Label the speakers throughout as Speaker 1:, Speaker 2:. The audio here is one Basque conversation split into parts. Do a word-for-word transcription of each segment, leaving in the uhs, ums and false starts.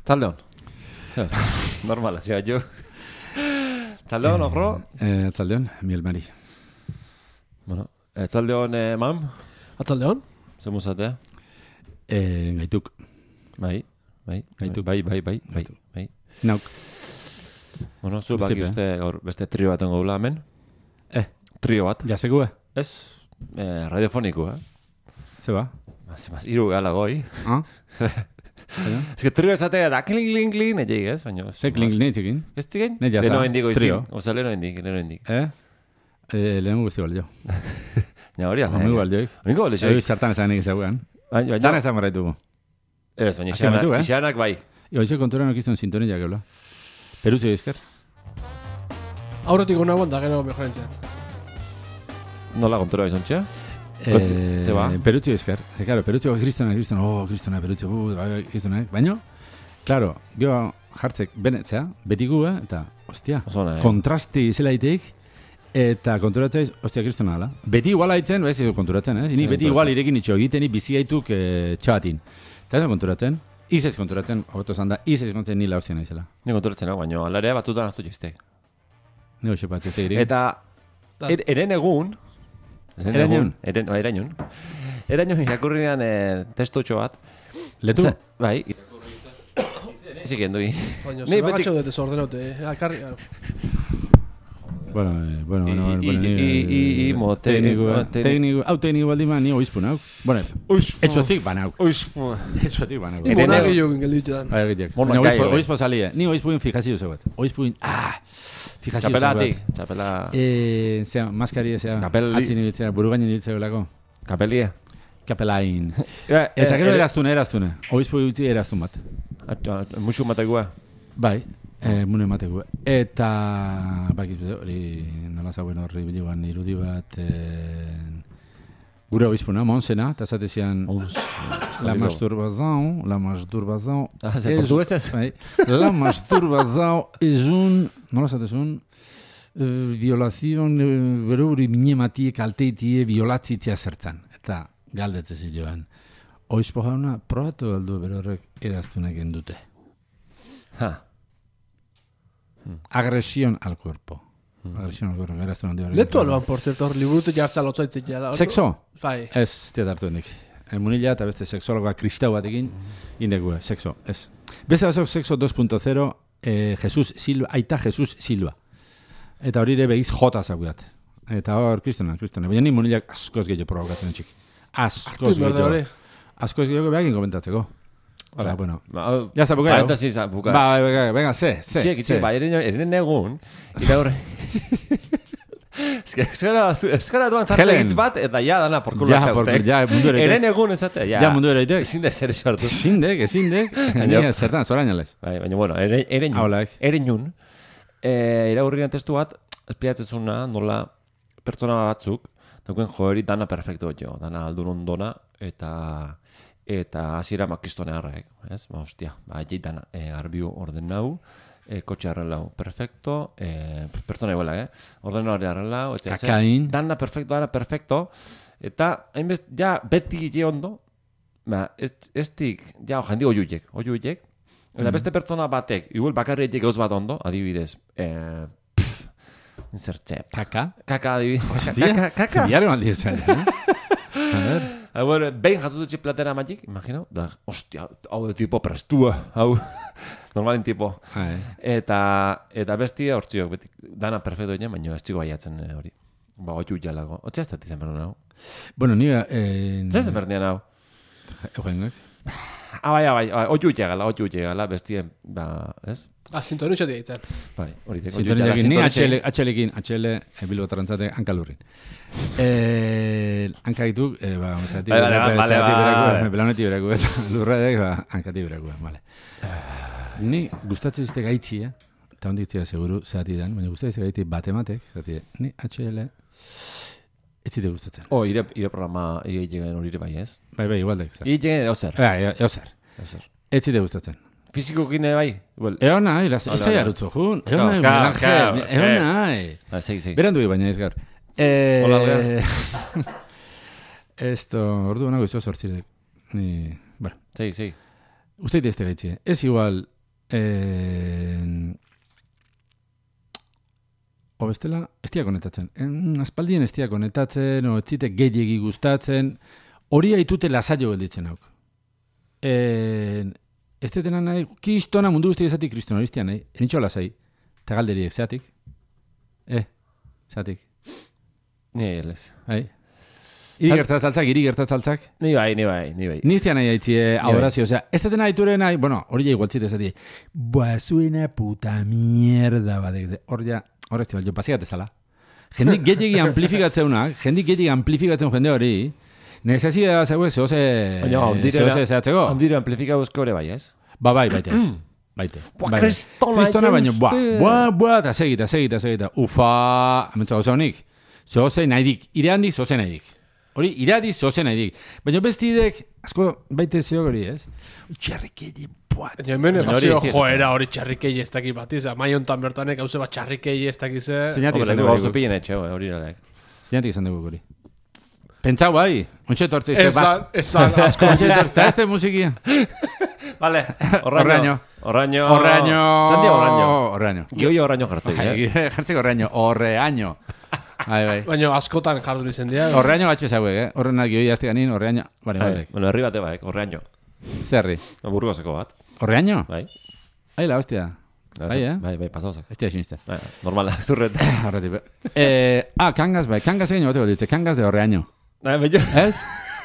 Speaker 1: Tzaldeon. Normala, zia, jo. Tzaldeon, okro?
Speaker 2: Eh, Tzaldeon, Miel Mari.
Speaker 1: Bueno, tzaldeon, eh, mam?
Speaker 3: Atzaldeon?
Speaker 1: Zer muzatea?
Speaker 2: Eh, gaituk.
Speaker 1: Bai, bai,
Speaker 2: Gaituk.
Speaker 1: bai, bai, bai, bai, bai.
Speaker 2: Nauk.
Speaker 1: Bueno, zu baki uste gaur beste trio bat engo gula hemen.
Speaker 2: Eh.
Speaker 1: Trio bat.
Speaker 2: Jasekue?
Speaker 1: Ez, eh, radiofoniko, eh?
Speaker 2: Zeba?
Speaker 1: Mas, mas, iru gala goi.
Speaker 2: Ah?
Speaker 1: Ez que trio esatea da kling, kling, kling, netik, ez? Baina...
Speaker 2: Ze kling neitzekin?
Speaker 1: Ez tigen?
Speaker 2: Ne jasa.
Speaker 1: Leno hendik oizin.
Speaker 2: Trio.
Speaker 1: Oza, leno hendik, leno hendik.
Speaker 2: Eh? Eh, lehen guzti balio.
Speaker 1: Ja, hori ala.
Speaker 2: Homi balioik.
Speaker 1: Homingo balio,
Speaker 2: Hori zertan ezanik ezaguan.
Speaker 1: Baina,
Speaker 2: Dan ezan barraitugu.
Speaker 1: ez, baina
Speaker 2: Hasi matu, eh?
Speaker 1: ixanak bai.
Speaker 2: Hoxe konturan okizten sintonia geula. Perutze izker?
Speaker 3: Aurretik hona da gero mejorentzia.
Speaker 1: Nola kontura izontxea?
Speaker 2: Eh,
Speaker 1: Ze ba?
Speaker 2: Perutze izker. E, claro, perutze kristona, kristona, oh, kristona, perutze, bu, kristona, baina, claro, geho jartzek benetzea, betigu, eh? Eta, ostia,
Speaker 1: Osona, eh?
Speaker 2: kontrasti izela itik, eta konturatzaiz, ostia, kristona ala. Beti igual haitzen, ez ez konturatzen, eh? Ni beti igual irekin itxo egiten, ni bizi haituk eh, txabatin. Eta ez konturatzen, izez konturatzen, hobeto zanda, izez konturatzen nila hostia naizela.
Speaker 1: Ni konturatzen hau, baina alare batzutan aztu jiztek.
Speaker 2: Ne hoxe patxete iri.
Speaker 1: Eta, er, eren egun, eren
Speaker 2: Erañon?
Speaker 1: eren, ba, erañon, erañon irakurrian eh, testotxo bat.
Speaker 2: Letu?
Speaker 1: Ze- Bai, izik endui.
Speaker 3: Baina,
Speaker 1: Ni
Speaker 3: zer
Speaker 1: beti-
Speaker 3: bagatxo dut desordenaute, eh? Akarri...
Speaker 2: Bueno, eh, bueno, bueno,
Speaker 1: I-
Speaker 2: bueno,
Speaker 1: i- i- i- i- mo, te-
Speaker 2: tekniko,
Speaker 1: mo, te-
Speaker 2: tekniko, hau tekniko baldin ba, ni oizpun hau. Bueno, etxotik banau.
Speaker 1: Uizpu.
Speaker 2: Etxotik banau.
Speaker 3: Ni
Speaker 1: Eren
Speaker 3: mona
Speaker 1: ego-
Speaker 3: gehiago gelditu dan.
Speaker 2: Bai, egitek.
Speaker 1: Mona
Speaker 2: Baina
Speaker 1: gai,
Speaker 2: oizpo,
Speaker 1: bai.
Speaker 2: oizpo salie. Ni oizpuin fijazio zeuet. Oizpuin, ah, fijazio zeuet.
Speaker 1: Txapelatik, txapela...
Speaker 2: Eh, zea, maskari, zea,
Speaker 1: Kapeli.
Speaker 2: atzin ibiltzea, burugainen ibiltzea belako.
Speaker 1: Kapelie.
Speaker 2: Kapelain.
Speaker 1: Eh,
Speaker 2: Eta gero
Speaker 1: eh,
Speaker 2: eraztune, eraztune. Oizpo ibiltzea eraztun bat.
Speaker 1: Atxo, musu matekua.
Speaker 2: Bai, eh, mune emateko. Eta, bakiz, hori, nola zauen horri bileguan irudi bat, eh, gure oizpuna, monsena, eta zatezian, la masturbação, la masturbação,
Speaker 1: Ah, ze
Speaker 2: es-
Speaker 1: portuguesez?
Speaker 2: bai, la masturbação es un, nola zatezun, eh, violazion, eh, bero hori minematie, kalteitie, violatzitzea zertzan. Eta galdetzen ziloan, oizpo jauna, probatu aldu bero horrek eraztunak endute.
Speaker 1: Ha.
Speaker 2: Agresión al cuerpo. Agresión al cuerpo, eraztun handi hori.
Speaker 3: Letu alban, por cierto, hor liburute jartza lotzaitzek jala.
Speaker 2: Sexo?
Speaker 3: Bai.
Speaker 2: Ez, tiat hartu hendik. E, munila eta beste sexologa kristau batekin, indekue, sexo, ez. Beste bazok sexo dos punto cero, eh, Jesus Silva, aita Jesus Silva. Eta hori ere begiz jota zagudat. Eta hor, kristona, kristona. Baina ni munilak askoz gehiago provokatzen txik. Askoz
Speaker 3: Berde
Speaker 2: gehiago.
Speaker 3: hori.
Speaker 2: Askoz gehiago behakin komentatzeko. Ora, bueno.
Speaker 1: Ba, hau-
Speaker 2: Ya está, bukaio.
Speaker 1: Parentesi, za, buka.
Speaker 2: Ba, venga, venga, ze, ze,
Speaker 1: Txiek,
Speaker 2: ze.
Speaker 1: itxiek, ba, eren, eren egun, iraur... Ez que, eskara, eskara duan zartzen
Speaker 2: Helen.
Speaker 1: hitz bat, eta ja dana porkulo
Speaker 2: Ja,
Speaker 1: atzaute.
Speaker 2: por- ja, mundu ere
Speaker 1: Eren egun ezatea, ja.
Speaker 2: Ja, mundu ere itek.
Speaker 1: Ezin da zer esartu.
Speaker 2: Ezindek, ezindek. Ni zertan, zorainalez.
Speaker 1: Bai, baina, bueno, ere, eren jun.
Speaker 2: Haulaik.
Speaker 1: Eren jun. E, iraurrian testu bat, espiatzezuna nola pertsona batzuk, daukuen joeri dana perfecto jo, dana aldun ondona, eta eta hasiera makistonearraek, ez? Ba, hostia, ba, jeit dana, e, garbiu orden nau, e, kotxe arrelau, perfecto, e, pertsona iguela, eh? Orden hori arrelau, eta ze-
Speaker 2: Kakain.
Speaker 1: dana perfecto, dana perfecto, eta hainbest, ja, beti je ondo, ba, ez, ez tik, ja, jandi oiuiek, oiuiek, eta beste pertsona batek, igual bakarri etik gauz bat ondo, adibidez, eh, pff, zertxe,
Speaker 2: Kaka.
Speaker 1: kaka adibidez,
Speaker 2: Hostia.
Speaker 1: kaka, kaka,
Speaker 2: Biare maldi esan, eh? A ver.
Speaker 1: Ah, bueno, behin jatzututxe platera matik, imagino, da, ostia, hau de tipo prestua, hau, normalin tipo.
Speaker 2: Ah, eh.
Speaker 1: Eta, eta bestia hortziok, beti, dana perfecto egin, baina ez txiko baiatzen eh, hori. Ba, otxu jalago. Otxe ez dati zen berun hau.
Speaker 2: Bueno, ni... Eh,
Speaker 1: Zer zen berdian hau?
Speaker 2: Eugengoek.
Speaker 1: Ah, bai, bai, bai, otxu jagala, otxu jagala, bestien, ba, ez?
Speaker 3: Ah, sintonitxo diaitzen.
Speaker 1: Bai, hori deko.
Speaker 2: Sintoniakin, ni atxele, atxelekin, atxele, e, Bilbo tarantzate, hankalurrin. Eh, hankaituk, eh, ba, zati
Speaker 1: Bai, bale, bale, bale, bale.
Speaker 2: beraku, belaunetik beraku, eta lurradek, ba, hankati beraku, bale. Ni gustatzen izte gaitzi, eh? Eta hondik zira seguru, zati dan, baina gustatzen izte gaitzi batematek, zati, ni atxele, ez zite gustatzen.
Speaker 1: Oh, ire, ire programa, ire igen hori ere bai, ez?
Speaker 2: Bai, bai, igualdek, zati.
Speaker 1: Ire igen eozer.
Speaker 2: Bai, eozer.
Speaker 1: Eozer.
Speaker 2: Ez zite gustatzen.
Speaker 1: Fizikokin ere bai? Well,
Speaker 2: Egon nahi, ez
Speaker 1: Hala,
Speaker 2: zai
Speaker 1: hala.
Speaker 2: arutzo jun, egon
Speaker 1: Claro,
Speaker 2: nahi,
Speaker 1: claro,
Speaker 2: Miguel Ángel,
Speaker 1: claro,
Speaker 2: egon
Speaker 1: eh.
Speaker 2: nahi.
Speaker 1: ah, segi, segi.
Speaker 2: Berandu baina ez gaur. Eh,
Speaker 1: Hola, Algar.
Speaker 2: Esto, ordu nago izo sortzirek. Ni, bueno,
Speaker 1: Segi, segi.
Speaker 2: uste este gaitzi. Ez igual Eh, o bestela, ez dira konetatzen. En, aspaldien ez dira konetatzen, o ez zite gehiegi gustatzen, hori haitute lasaio gelditzen hauk. Eh, ez detena nahi, kristona mundu guzti ezatik kristona, hori nahi, enitxo lasai, eta galderiek, zeatik? Eh, zeatik?
Speaker 1: Ni ez.
Speaker 2: Bai. Iri gertatzaltzak, iri gertatzaltzak.
Speaker 1: Ni bai, ni bai, ni bai.
Speaker 2: Ni iztean nahi haitzi eh, adorazio, osea, ez detena haiture nahi, bueno, hori ja igualtzit ezati, boa, zuena puta mierda badek, hor ja, hor ez tibal, jo pasigat ezala. Jendik gehiagi amplifikatzeuna, jendik gehiagi amplifikatzen jende hori, necesidad zegoen zehose, zehose zehatzeko.
Speaker 1: Ondire amplifika buzko ere bai, ez?
Speaker 2: Ba, bai, baite. Baite.
Speaker 1: Boa,
Speaker 2: Bai.
Speaker 1: kristona,
Speaker 2: Kristona baino,
Speaker 1: jauste.
Speaker 2: boa, boa, boa, eta segita, segita, segita. Ufa, amentsa gauza honik. Zehose nahi dik, ireandik zehose nahi dik. Hori, iradi zehose nahi dik. Baina bestidek, asko baite zehok hori, ez? Txarrikedi, boa.
Speaker 3: Baina hemen
Speaker 1: Baina hori
Speaker 3: pasio
Speaker 1: ez dira.
Speaker 3: joera hori txarrikei ez dakit bat izan. Mai hontan bertanek hauze bat txarrikei ez dakize.
Speaker 2: Zeinatik
Speaker 1: Hombre,
Speaker 2: esan
Speaker 1: leku
Speaker 2: dugu
Speaker 1: gauzo
Speaker 2: hori.
Speaker 1: pillen etxe, hori nalek.
Speaker 2: Zeinatik esan dugu hori. Pentsau bai, ontsa etortze izte bat.
Speaker 3: Esan, esan, asko.
Speaker 2: Ontsa etortze, eta este musikia.
Speaker 1: Vale,
Speaker 2: Horraño.
Speaker 1: Horraño.
Speaker 2: Horreaño.
Speaker 1: Zandia horraño.
Speaker 2: Horreaño.
Speaker 1: Gioio horraño jartzei, eh?
Speaker 2: Bai, jartzeko horreaño. Horreaño. Bai, bai.
Speaker 3: Baina askotan jardu izen dira.
Speaker 2: Horreaño batxe zauek, eh? Horrenak gioi azte ganin, horreaño. Bale,
Speaker 1: Bai,
Speaker 2: batek.
Speaker 1: bueno, herri bate baek, horraño.
Speaker 2: Zerri.
Speaker 1: Burgoseko bat,
Speaker 2: Horreaño?
Speaker 1: bai.
Speaker 2: Bai, la hostia. Bai, eh?
Speaker 1: Bai, bai, pasauzak.
Speaker 2: Ez tia siniste.
Speaker 1: Bai, normala, zurret.
Speaker 2: Horretik, be. Eh, ah, kangas, bai. Kangas egin bateko ditze. Kangas de horreaño.
Speaker 1: Bai, bello.
Speaker 2: Ez?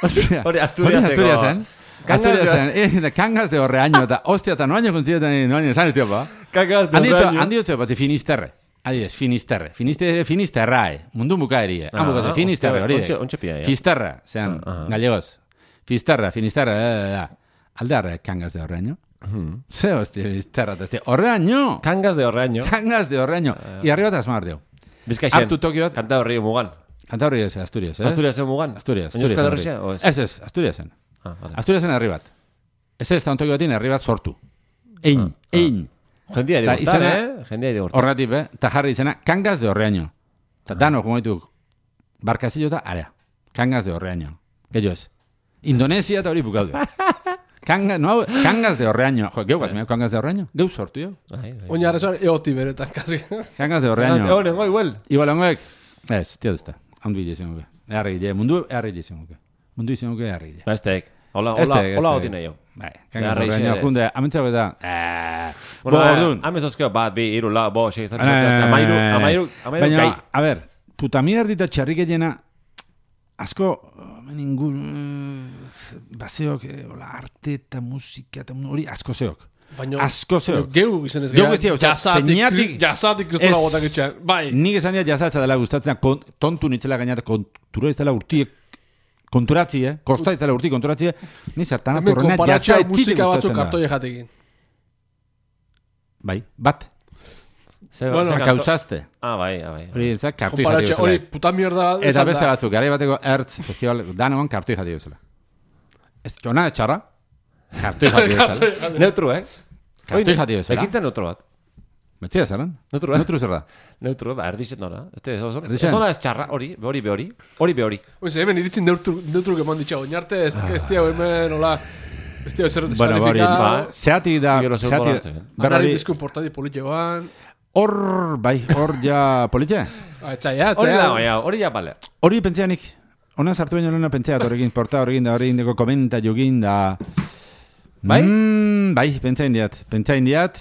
Speaker 2: Ostia.
Speaker 1: Hori Asturiaseko.
Speaker 2: Hori Asturiasen.
Speaker 1: Kangas de-
Speaker 2: Asturiasen. Eh, de kangas de horreaño. Eta, ostia, eta noaino kontzietan, noaino esan ez tiopa.
Speaker 1: Kakas de
Speaker 2: Han ditzo,
Speaker 1: horraño.
Speaker 2: han ditzo, bat, Finisterre. Adibidez, Finisterre. Finiste, Finisterrae. Mundu bukaerie. Han bukatzen, Finisterre, hori.
Speaker 1: Ontxe, ontxe pia, ja.
Speaker 2: Fisterra, zean,
Speaker 1: Ah, aha.
Speaker 2: gallegos. Fisterra, Finisterra, eh, eh, aldearre, kangas de horreaño.
Speaker 1: Mhm.
Speaker 2: Ze, hostia, Fisterra, eta hostia, horreaño!
Speaker 1: Kangas de horraño.
Speaker 2: Kangas de horreaño. I arriba eta asmar deu.
Speaker 1: Bizkaixen.
Speaker 2: Hartu toki bat.
Speaker 1: Kanta horri mugan.
Speaker 2: Kanta horri ez, Asturias, ez?
Speaker 1: Asturiasen mugan.
Speaker 2: Asturias,
Speaker 1: Baina
Speaker 2: Asturias.
Speaker 1: Euskal
Speaker 2: horri.
Speaker 1: Herria, o ez?
Speaker 2: Ez, ez, Asturiasen.
Speaker 1: Ah, vale.
Speaker 2: Asturiasen herri bat. Ez ez, da ontoki batin herri bat sortu. Ein, ein.
Speaker 1: Jendia
Speaker 2: Ta
Speaker 1: digurtan,
Speaker 2: izena-
Speaker 1: eh? Jendia digurtan.
Speaker 2: Horretik, be, eta jarri izena, kangas de horreaño. Eta dano, como ditu, barkazillo eta area. Kangas de horreaño. Gehiago ez. Indonesia eta hori bukaude. Kanga, no, kangas de horreaño. Jo, geu gazmeo, kangas de horreaño. Geu sortu, jo.
Speaker 1: Bai, bai.
Speaker 3: Oina arrezoan eoti beretan, kasi.
Speaker 2: Kangas de
Speaker 1: Ah,
Speaker 2: horreaño.
Speaker 1: Honen, goi, huel.
Speaker 2: Igual hongoek, ez, tia duzta. Handu hile izango. Eharri gile, mundu eharri gile izango. Mundu izango eharri gile.
Speaker 1: Estek. Hola,
Speaker 2: Estek,
Speaker 1: hola,
Speaker 2: estek.
Speaker 1: hola hoti nahi jo.
Speaker 2: Bai, kangas de
Speaker 1: Beharra
Speaker 2: horreaño.
Speaker 1: izan
Speaker 2: Junde, amentzago eta, eh,
Speaker 1: Bueno,
Speaker 2: bo,
Speaker 1: eh,
Speaker 2: orduan.
Speaker 1: amezozkeo bat, bi, iru, la, bo, sei, zati,
Speaker 2: Eh,
Speaker 1: amairu, amairu, amairu,
Speaker 2: Baina,
Speaker 1: kai.
Speaker 2: a ver, puta mierdita txarriketena, asko, ningun, baseok, eh, hola, arte eta musika, eta hori asko zeok.
Speaker 3: Baina,
Speaker 2: Asko zeok.
Speaker 3: Geu izen ez
Speaker 2: Geu
Speaker 3: gara.
Speaker 2: guztia, osea, zeinatik-
Speaker 3: Jasatik kristola
Speaker 2: Ez.
Speaker 3: botak itxean. Bai.
Speaker 2: Nik esan dira jazatza dela gustatzen, kon, tontu nitzela gainat, kontura ez dela urtiek, konturatzi, eh? Kosta ez dela urti konturatzi, eh? Ni zertan
Speaker 3: Hemen
Speaker 2: atorrena
Speaker 3: konparatxoa
Speaker 2: jaza etzite
Speaker 3: musika batzuk
Speaker 2: gustatzen da.
Speaker 3: kartoi jatekin.
Speaker 2: Bai, bat,
Speaker 1: Ze,
Speaker 3: Bueno,
Speaker 1: ze kanto-
Speaker 2: kausazte.
Speaker 1: Ah, bai, ah, bai.
Speaker 2: Hori ez da, kartoi jati
Speaker 3: Konparatxoa, hori
Speaker 2: bezala.
Speaker 3: puta mierda
Speaker 2: Eta
Speaker 3: esan
Speaker 2: beste
Speaker 3: da.
Speaker 2: batzuk, gara bateko Ertz festival, danoan kartoi jati bezala. Ez txona etxarra, kartoi jati bezala.
Speaker 1: Neutru, eh?
Speaker 2: Kartoi jati bezala.
Speaker 1: Ekintza neutro bat.
Speaker 2: Betzia zeran?
Speaker 1: Neutru, eh?
Speaker 2: Neutru zer da.
Speaker 1: Neutru, ba, erdixet nora. Este, ez
Speaker 2: Erdixen?
Speaker 1: ez ona ez txarra, hori, hori, be hori, hori, be hori.
Speaker 3: Oiz, hemen iritzin neutru, neutru gemon ditxa. Oinarte, ez ez tia hemen, hola, ez tia zer
Speaker 2: Bueno, ba, hori,
Speaker 3: deskalifika.
Speaker 1: ba,
Speaker 2: zeatik da,
Speaker 1: Gero zeu
Speaker 2: zeatik,
Speaker 1: goratzen.
Speaker 2: berra
Speaker 3: Arrari
Speaker 2: hori,
Speaker 3: diskun portadi politxoan.
Speaker 2: hor, bai, hor ja, politxe?
Speaker 3: Ah, Etxaia,
Speaker 1: Hori da,
Speaker 3: etxaia.
Speaker 1: baina, hori ja, bale.
Speaker 2: Hori pentseanik, ona sartu baino lehena pentseat horrekin, porta horrekin da horrekin deko komenta jogin da...
Speaker 1: Bai?
Speaker 2: Mm, bai, pentsain diat, pentsain diat,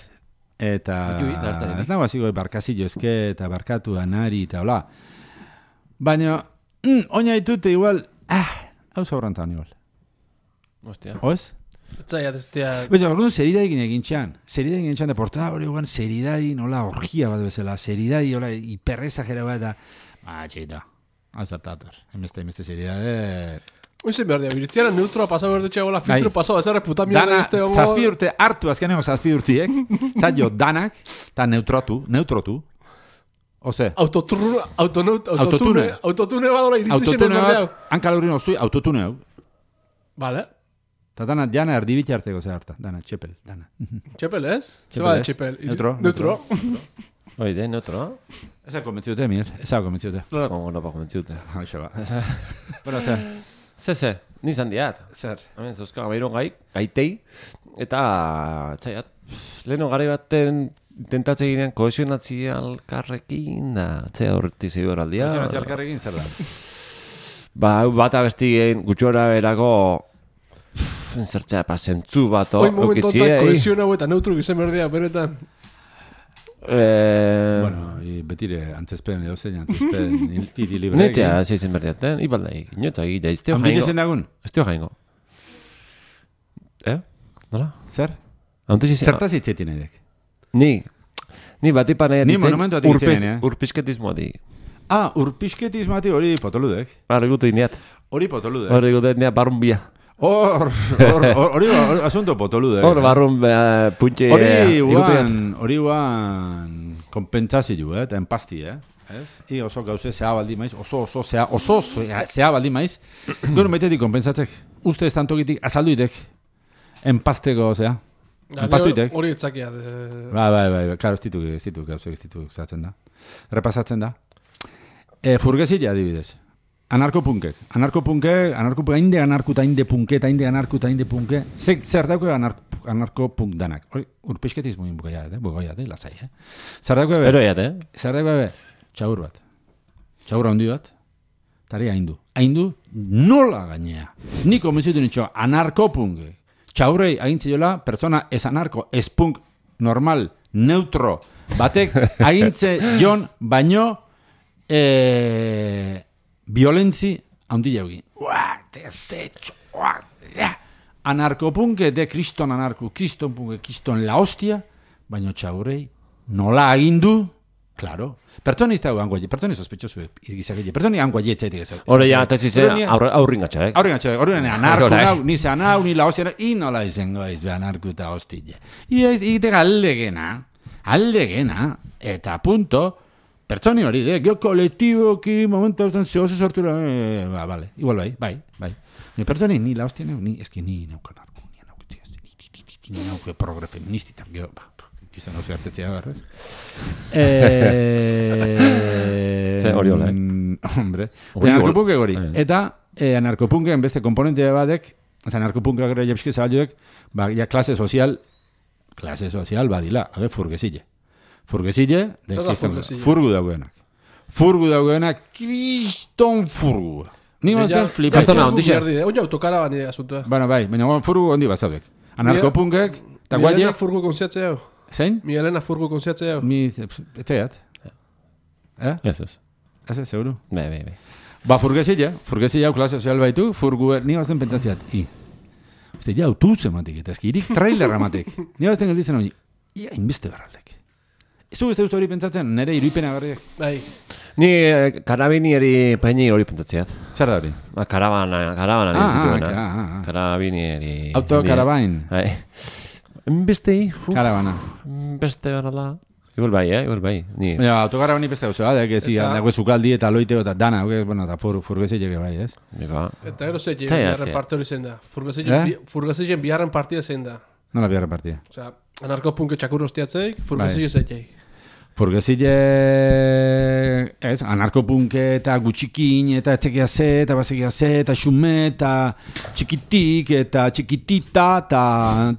Speaker 2: eta...
Speaker 1: Jui, da hartarik.
Speaker 2: Ez nago hasiko barkazillo eske, eta barkatu anari, eta hola. Baina, mm, oina ditute igual, ah, hau zaurrantan igual.
Speaker 1: Hostia.
Speaker 2: Oez?
Speaker 3: Etxaia, ez tia...
Speaker 2: Baina, orduan seridaikin egin txan. Seridaikin egin txan, da portada hori guan seridai, nola, orgia bat bezala. Seridai, hola, hiperrezajera bat, eta... Ah, txita. Hau zartator. Hemeste, hemeste seridade...
Speaker 3: Oizen behar dira, biritziara neutroa pasau behar dutxe gola, filtro pasau, ez erre puta mierda
Speaker 2: Dana,
Speaker 3: este hongo.
Speaker 2: zazpi urte, hartu azkeneko zazpi urtiek, zailo danak, eta neutrotu, neutrotu. Ose,
Speaker 3: Autotune, autonaut, autotune,
Speaker 2: Autotune.
Speaker 3: autotune badola iritzi
Speaker 2: autotune
Speaker 3: xenen berdea.
Speaker 2: bat, hankalurin osui, autotune hau.
Speaker 3: Vale,
Speaker 2: Eta dana, jana erdibitxe harteko ze harta, dana, txepel, dana.
Speaker 3: txepel ez?
Speaker 2: Txepel
Speaker 3: Zeba de
Speaker 2: ez.
Speaker 3: txepel.
Speaker 2: Neutro,
Speaker 3: Neutro.
Speaker 1: Hori de, neutro.
Speaker 2: Ez da konbentziute, mir, ez da konbentziute.
Speaker 1: Lola kongo no pa komentziute.
Speaker 2: Hau ba. Bueno, ze,
Speaker 1: Ze, ze, nizan diat.
Speaker 2: zer.
Speaker 1: Hemen zeuzka, amairon gai, gaitei, eta txaiat. leheno gari baten intentatze ginean kohesionatzia alkarrekin, da, txea horreti zei horaldia.
Speaker 2: Kohesionatzia alkarrekin zer da?
Speaker 1: Ba, bat abestigeen gutxora berako zertzea, pa, zentzu bat
Speaker 3: Hoi momentu
Speaker 1: okitzie.
Speaker 3: eta kohesion hau eta neutru gizem berdia, beretan.
Speaker 1: Eh,
Speaker 2: Bueno, i betire antzespen edo zein antzespen iltiri libre.
Speaker 1: Netzea, zeizen berdiaten, ibaldai, inoetza egitea, ez teo
Speaker 2: Ambile
Speaker 1: jaingo.
Speaker 2: zen dagun?
Speaker 1: Ez teo jaingo. Eh? Nola?
Speaker 2: Zer?
Speaker 1: Hauntez izan.
Speaker 2: Zertaz hitzetin edek?
Speaker 1: Ni, ni bat ipan nahi
Speaker 2: Ni monumentu atik itzen, eh?
Speaker 1: urpisketismoa di.
Speaker 2: Ah, urpisketismati hori potoludek.
Speaker 1: Hori gutu ineat.
Speaker 2: Hori potoludek.
Speaker 1: Hori gutu ineat barrun bia.
Speaker 2: Hor, hor, hor, hori hor, asunto potoludek.
Speaker 1: Hor barrun uh, puntxe...
Speaker 2: Hori guan, hori guan kompentsazio, eh? Eta empasti, eh? Ez? I oso gauze zea baldi maiz, oso, oso, zea, oso, zea, zea baldi maiz. Gero metetik kompensatzek. Uste ez tantokitik azaldu itek. Empasteko, zea. Empastu itek.
Speaker 3: Hori etzakia.
Speaker 2: Bai, bai, bai, karo, ez dituk, ez dituk, gauze, ez dituk, zatzen da. Repasatzen da. E, furgezila, adibidez. Anarkopunkek. Anarkopunkek, anarkopunkek, hainde anarkuta, hainde punket, hainde anarkuta, hainde punke. Zer, zer dauke anark, anarkopunk danak. Hori, urpisketismo inbukaia, eh? Bukaia, eh? Lasai, eh? Zer dauke be?
Speaker 1: Pero eiat, eh?
Speaker 2: Zer dauke be? Txaur bat. Txaur handi bat. Tari haindu. Haindu nola gainea. Niko mesutu nitxo, anarkopunkek. Txaurei agintziola, persona ez anarko, ez punk, normal, neutro, batek agintze jon, baino, eh, violentzi handi jaugi. Ua, tezetxo, ua, ja. Anarkopunke de kriston anarko, kriston punke, kriston la hostia, baino txaurei nola agindu, claro. Pertsoni ez da hango, pertsoni sospetxosu izagile, pertsoni hango jetzeetik ez.
Speaker 1: Hore ja, tezize aurrin gatxa, eh?
Speaker 2: Aurrin gatxa, horren anarko nau, ni ze anau, ni la hostia, i nola izango ez be anarko eta hostile. I ez, ite aldegena, aldegena, eta punto, pertsoni hori, de, gio kolektiboki, momento, zehoze sortu, eh, ba, vale, igual bai, bai, bai. Ni pertsoni, ni la hostia, ni, eski ni nauka anarko, ni nauka, ni nauka progre feministita, gio, ba, izan hau zehartetzea garrez.
Speaker 1: Zer hori hola, eh?
Speaker 2: Hombre, anarkopunke hori. Eta eh, anarkopunken beste komponente badek, anarkopunke gero jepske zabalduek, ba, ja klase sozial, klase sozial badila, abe, furgezile. Furgezile, de kriston, furgu daugenak. Furgu daugenak, kriston furgu. Ni mazten flipa.
Speaker 1: Kastona, ondixe.
Speaker 3: Oina autokarabani asuntua.
Speaker 2: Bueno, bai, baina furgu ondi bazaudek. Anarkopunkek, eta
Speaker 3: Mi
Speaker 2: guaie...
Speaker 3: Elena furgu konziatzea hau.
Speaker 2: Zein?
Speaker 3: Mi Elena furgu konziatzea hau.
Speaker 2: Mi, etxeat. Eh?
Speaker 1: Ez, ez.
Speaker 2: Ez, ez, seguru.
Speaker 1: Be, be, be.
Speaker 2: Ba, furgezila, furgezila hau klase sozial baitu, furgu, ni bazten pentsatzeat, i. Uste, ja, autobus ematik, eta eski, irik trailer ematik. Ni bazten gelditzen hori, ia, inbeste barraldek. Ez du, ez dut hori pentsatzen, nire iruipena garriak.
Speaker 3: Bai.
Speaker 1: Ni eh, karabinieri peini hori pentsatzeat.
Speaker 2: Zer da hori?
Speaker 1: Ba, karabana, karabana
Speaker 2: Ah,
Speaker 1: nintzituena.
Speaker 2: ah, ah, ah.
Speaker 1: Karabinieri...
Speaker 2: Autokarabain.
Speaker 1: Bai. Bestei,
Speaker 2: Karabana.
Speaker 1: beste berala. Igual bai, eh? Igual bai. Ni...
Speaker 2: Baina, autokarabani beste gauza, da, que ziga, dago zukaldi eta loiteo eta dana, okay? Bueno, eta fur, furgezile bai, ez?
Speaker 1: Nika.
Speaker 3: Eta gero zein,
Speaker 1: Txea,
Speaker 3: biharren
Speaker 1: txea.
Speaker 3: parte hori zein da.
Speaker 2: Eh?
Speaker 3: Furgazien biharren partida zein da.
Speaker 2: Nola biharra partia.
Speaker 3: Osea, anarkopunke txakur hostiatzeik, furgazien zein.
Speaker 2: Furgezile, ez, anarkopunke eta gutxikin, eta etzekia ze, eta bazekia ze, eta xume, eta txikitik, eta txikitita, eta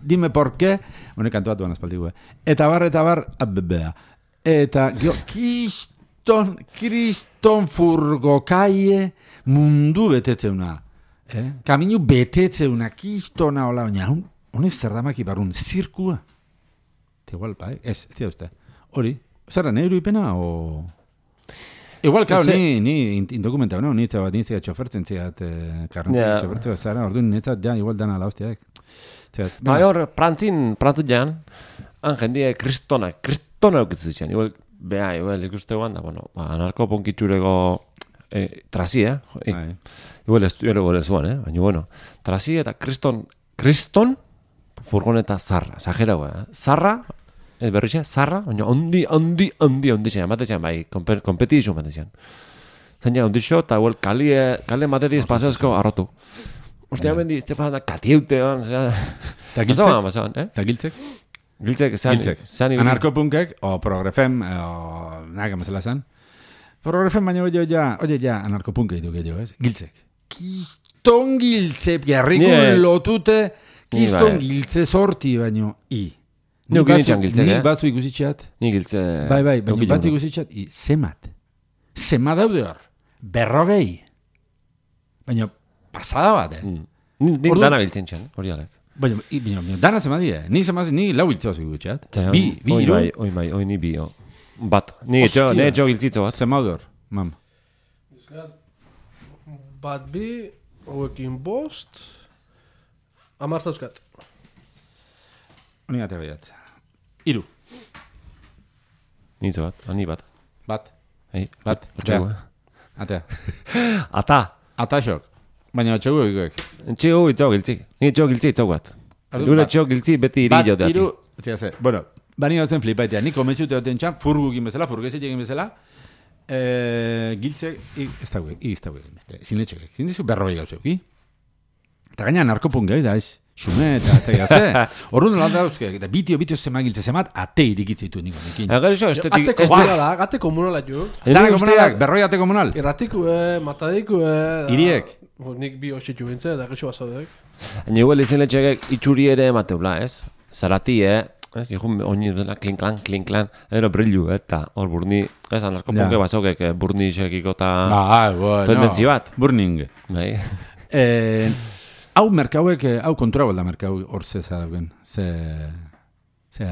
Speaker 2: dime porke, honek kantuatu ban aspaldigu, eh? Eta bar, eta bar, abebea. Eta, gio, kriston, kriston furgokaie mundu betetzeuna. Eh? Kaminu betetzeuna, kristona hola, baina, honez zer damak ibarun, zirkua. Te igual, pa, eh? Ez, ez dira uste. Hori, zerra, nahi iruipena, o... Igual, claro, ni, ni indokumentau, no? Nitza bat, nitza txofertzen ziat, eh, karrentzen
Speaker 1: Ja.
Speaker 2: txofertzen zara, orduan nitzat, ja, igual dana la hostiak. Ziat,
Speaker 1: Ba, hor, prantzin, prantzin jan, han jendie kristona, kristona eukitzen. Igual, beha, igual, ikusteguan, da, bueno, ba, anarko ponkitxureko eh, trasi, eh? Eh,
Speaker 2: bai.
Speaker 1: Igual, ez igual ez zuan, eh? Baina, bueno, trasi eta kriston, kriston, furgoneta zarra, exagerago, eh? Zarra, ez berrixe, zarra, baina ondi, ondi, ondi, ondi zen, ematezian, bai, kompetizun ematezian. Zaina, ondi xo, eta igual, kali, kali matetiz paseazko arrotu. Ostia, bendi, este pasan da katieute, zera...
Speaker 2: Ta giltzek?
Speaker 1: Basaban, basaban, eh?
Speaker 2: Ta giltzek?
Speaker 1: Giltzek, zean...
Speaker 2: Giltzek.
Speaker 1: zean ibili-
Speaker 2: Anarkopunkek, o progrefem, o naga mazela zan. Progrefem baina oie ja, oie ja, anarkopunke ditu gehiago, ez? Giltzek. Kiston giltze, gerrikun
Speaker 1: Ni, eh,
Speaker 2: lotute,
Speaker 1: ni
Speaker 2: kiston
Speaker 1: bai.
Speaker 2: giltze sorti baino, i.
Speaker 1: Ni ukin itxan giltzek,
Speaker 2: Ni
Speaker 1: eh?
Speaker 2: batzu ikusitxeat.
Speaker 1: Ni giltze...
Speaker 2: Bai, bai, baina
Speaker 1: Eukile
Speaker 2: batzu
Speaker 1: hongo.
Speaker 2: ikusitxeat. I, zemat. Zema daude hor. Berrogei. Baina pasada bat, eh?
Speaker 1: Mm. Ni, ni
Speaker 2: Ordu-
Speaker 1: dana biltzen txan, hori alek.
Speaker 2: Baina, i- baina, baina dana zema die. Ni zema ni lau hiltzeo zikutxeat.
Speaker 1: Zai,
Speaker 2: Bi, bi,
Speaker 1: oi
Speaker 2: hiru.
Speaker 1: bai, oi bai, oi ni bi, o. Bat. Ni etxo,
Speaker 2: Hostia.
Speaker 1: ne etxo giltzitzo bat.
Speaker 2: Zema daude hor, mam.
Speaker 3: Bat bi, hauekin bost, amarta euskat.
Speaker 2: Honi gate baiat. Iru.
Speaker 1: Nitzo bat, ani bat.
Speaker 2: Bat.
Speaker 1: Ei,
Speaker 2: Bat.
Speaker 1: otxego,
Speaker 2: Atea.
Speaker 1: eh?
Speaker 2: Atea.
Speaker 1: Ata.
Speaker 2: Ataxok. Baina txegu egikoek.
Speaker 1: Etxego itxo giltzik. Ni etxo giltzi itxo bat.
Speaker 2: Ordu,
Speaker 1: Gure
Speaker 2: bat.
Speaker 1: etxo giltzi beti iri
Speaker 2: Bat,
Speaker 1: joteati.
Speaker 2: iru. Zia ze. Bueno, bani gautzen flipaitea. Ni komentzute duten txan, furgukin bezala, furgezik egin bezala. Eh, giltzek, i- ez dagoek, i- ez dagoek. Zinetxekek. Zindizu berrogei gauzeuki. Eta gaina narkopunk gaiz, da, ez? Xume eta atzea ze. Horrun nola dauzke, eta bitio, bitio zema giltze zemat, ate irikitze ditu niko nekin.
Speaker 1: Agar iso, estetik...
Speaker 3: Ate komunala, ate komunala jo.
Speaker 2: Dana komunalak, berroi ate komunal.
Speaker 3: Erratikue, matadikue... da-
Speaker 2: Hiriek.
Speaker 3: Bo, nik bi hoxetu bintze, da gexo bazaudek.
Speaker 1: Haina igual izin letxegek itxuri ere mateula, ez? Zarati, eh? Ez, ikun oini dela klinklan, klinklan, ero brillu, eta hor burni, ez, anarko
Speaker 2: Ja.
Speaker 1: punke basokek, eh, burni sekiko eta...
Speaker 2: Ah, bueno.
Speaker 1: Tendentzi bat.
Speaker 2: Burning.
Speaker 1: Bai.
Speaker 2: Eh, hau merkauek, eh, hau kontura bolda merkau hor zeza dauken. Ze... Ze...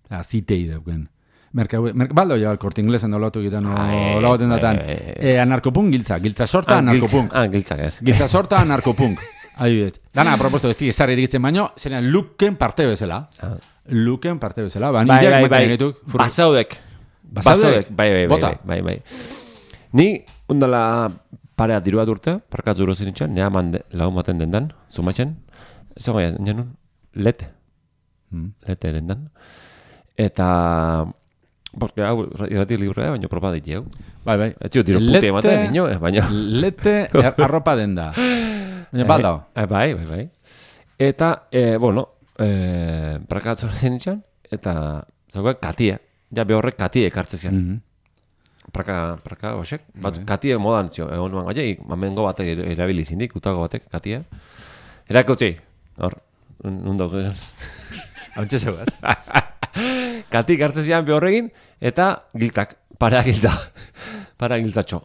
Speaker 2: Ze... Zitei dauken. Merkauek... Merk, baldo ja, korte inglesan dolatu gitan,
Speaker 1: Ai,
Speaker 2: ola baten datan.
Speaker 1: ai, ai, ai.
Speaker 2: Eh, anarkopunk giltza. Giltza sorta
Speaker 1: Ah, giltza-
Speaker 2: anarkopunk.
Speaker 1: Ah, giltzak ez.
Speaker 2: Giltza sorta anarkopunk. Adibidez. Dana, proposto, ez estar irigitzen baino, zenean luken parte bezala.
Speaker 1: Ah.
Speaker 2: Luken parte bezala. Ba,
Speaker 1: Bai,
Speaker 2: nireak
Speaker 1: bai,
Speaker 2: maten
Speaker 1: bai.
Speaker 2: egituk. fur-
Speaker 1: Basaudek.
Speaker 2: Basaudek?
Speaker 1: Bai, bai, bai,
Speaker 2: Bota.
Speaker 1: bai, bai, bai. Ni, undala parea diru bat urte, parkatzu uro zinitxan, nea mande, lagun baten dendan, zumatzen, ez goia, nenun, lete,
Speaker 2: Hmm.
Speaker 1: lete dendan. Eta, porque hau irrati librea, baina propa dit jau.
Speaker 2: Bai, bai.
Speaker 1: Ez zio diru pute ematen, nino, eh, baina...
Speaker 2: Lete er- arropa denda. Baina baldao.
Speaker 1: Eh, bai, bai, bai. Eta, eh, bueno, eh, parkatzu uro zinitxan, eta, zagoen katia. Ja, behorrek katia ekartze zian.
Speaker 2: Mhm.
Speaker 1: Praka, praka, osek. Bat, katie modan zio, egon nuan gaia, mamengo batek er- erabili zindik, utago batek, katia. Erakutzi, hor, nundo,
Speaker 2: Hau txese bat.
Speaker 1: katik hartzen zian behorregin, eta giltzak, para giltza, para giltzatxo.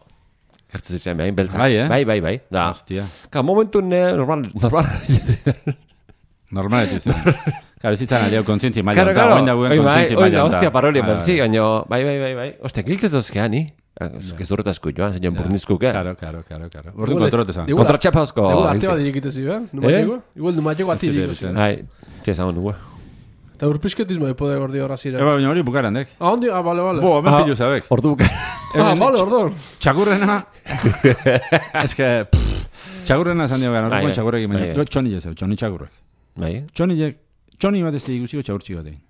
Speaker 1: Hartzen zian behain beltzak.
Speaker 2: Bai, eh?
Speaker 1: Bai, bai, bai. Da,
Speaker 2: Hostia.
Speaker 1: ka, momentu ne, normal, normal.
Speaker 2: Normal etu zen. Claro, ez zitzan aliau kontzientzi maila.
Speaker 1: Karo,
Speaker 2: Eta
Speaker 1: karo,
Speaker 2: oin dagoen
Speaker 1: oi, bai,
Speaker 2: kontzientzi
Speaker 1: oi,
Speaker 2: maila.
Speaker 1: da,
Speaker 2: honta.
Speaker 1: hostia, parolia,
Speaker 2: Bai,
Speaker 1: bertzi,
Speaker 2: bai.
Speaker 1: gaino, bai, bai, bai, bai. Hostia, giltzetozkea ni. Gezurreta esku joan, zein burnizkuk, eh?
Speaker 2: Claro, claro, claro, claro. Ordu kontrote zan.
Speaker 3: Igual-
Speaker 1: Kontratxapazko.
Speaker 3: Igual ate
Speaker 1: giltzak.
Speaker 3: bat dirikite ziren, numatiko? Igual numatiko ati
Speaker 2: Ez
Speaker 3: dirikite
Speaker 2: ziren.
Speaker 3: ziren.
Speaker 1: Ai, tia esan dugu.
Speaker 3: Eta urpisketismo epode gordi horra ziren.
Speaker 2: Eba, baina hori bukarandek.
Speaker 3: Ah, ondi, ah, bale, bale.
Speaker 2: Bo, hemen
Speaker 1: Ah.
Speaker 2: pilu zabek.
Speaker 1: Ordu buka.
Speaker 3: Ah, bale, ordon.
Speaker 2: Txakurrena... Ez que... pff, Txakurrena zan diogan,
Speaker 1: Bai,
Speaker 2: orduan
Speaker 1: bai.
Speaker 2: txakurrek.
Speaker 1: Bai,
Speaker 2: Baina,
Speaker 1: bai.
Speaker 2: txoni jezeu, txoni txakurrek.
Speaker 1: Bai,
Speaker 2: Txoni Txoni bat ez da ikusiko txaurtxi bat egin.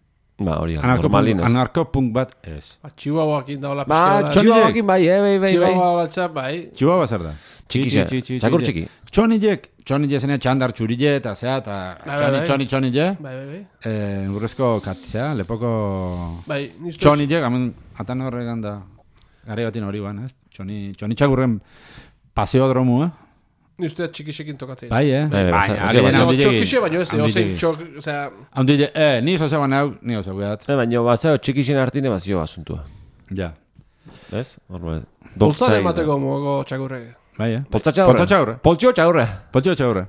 Speaker 1: ba, hori da,
Speaker 2: Anarkopunk,
Speaker 1: normalin ez.
Speaker 2: anarkopunk bat ez.
Speaker 3: Ba, Chihuahuakin daula
Speaker 1: Ba,
Speaker 3: pixka bat.
Speaker 1: txihuahuakin bai, eh, bai, bai, bai.
Speaker 3: Chihuahua batza, bai.
Speaker 2: Txihuahua zer da?
Speaker 1: Txikixe, txakur txiki.
Speaker 2: Txonilek, txonile zene txandar txurille eta zea, eta
Speaker 3: Bai,
Speaker 2: txoni,
Speaker 3: bai.
Speaker 2: txoni, txonile.
Speaker 3: Bai, bai, bai.
Speaker 2: Eh, urrezko katzea, lepoko...
Speaker 3: Bai, niztu
Speaker 2: Txonilek, hamen, atan horregan da, gare batin hori ban, ez? Txoni, txoni txagurren paseodromu, eh?
Speaker 3: Niztu txikisekin tokatzen.
Speaker 2: Bai, eh?
Speaker 1: Bai, bai,
Speaker 2: Baina,
Speaker 1: baina,
Speaker 2: ari
Speaker 1: baina,
Speaker 2: dena
Speaker 3: Baina,
Speaker 2: handilegi.
Speaker 3: txokixe, baina ez, ozein
Speaker 2: Handilegi.
Speaker 3: txok, osea...
Speaker 2: Handile, eh, ni oso zeban hau, ni oso gueat.
Speaker 1: Eh, baina, ba, zeo, txikixen hartine bazio asuntua.
Speaker 2: Ja,
Speaker 1: Ez? Horbe.
Speaker 3: Poltzare emateko mogo txakurre.
Speaker 2: bai, eh?
Speaker 1: Poltzatxa horre.
Speaker 2: Poltzatxa horre.
Speaker 1: Poltzio txaurre.
Speaker 2: Poltxo txagurre.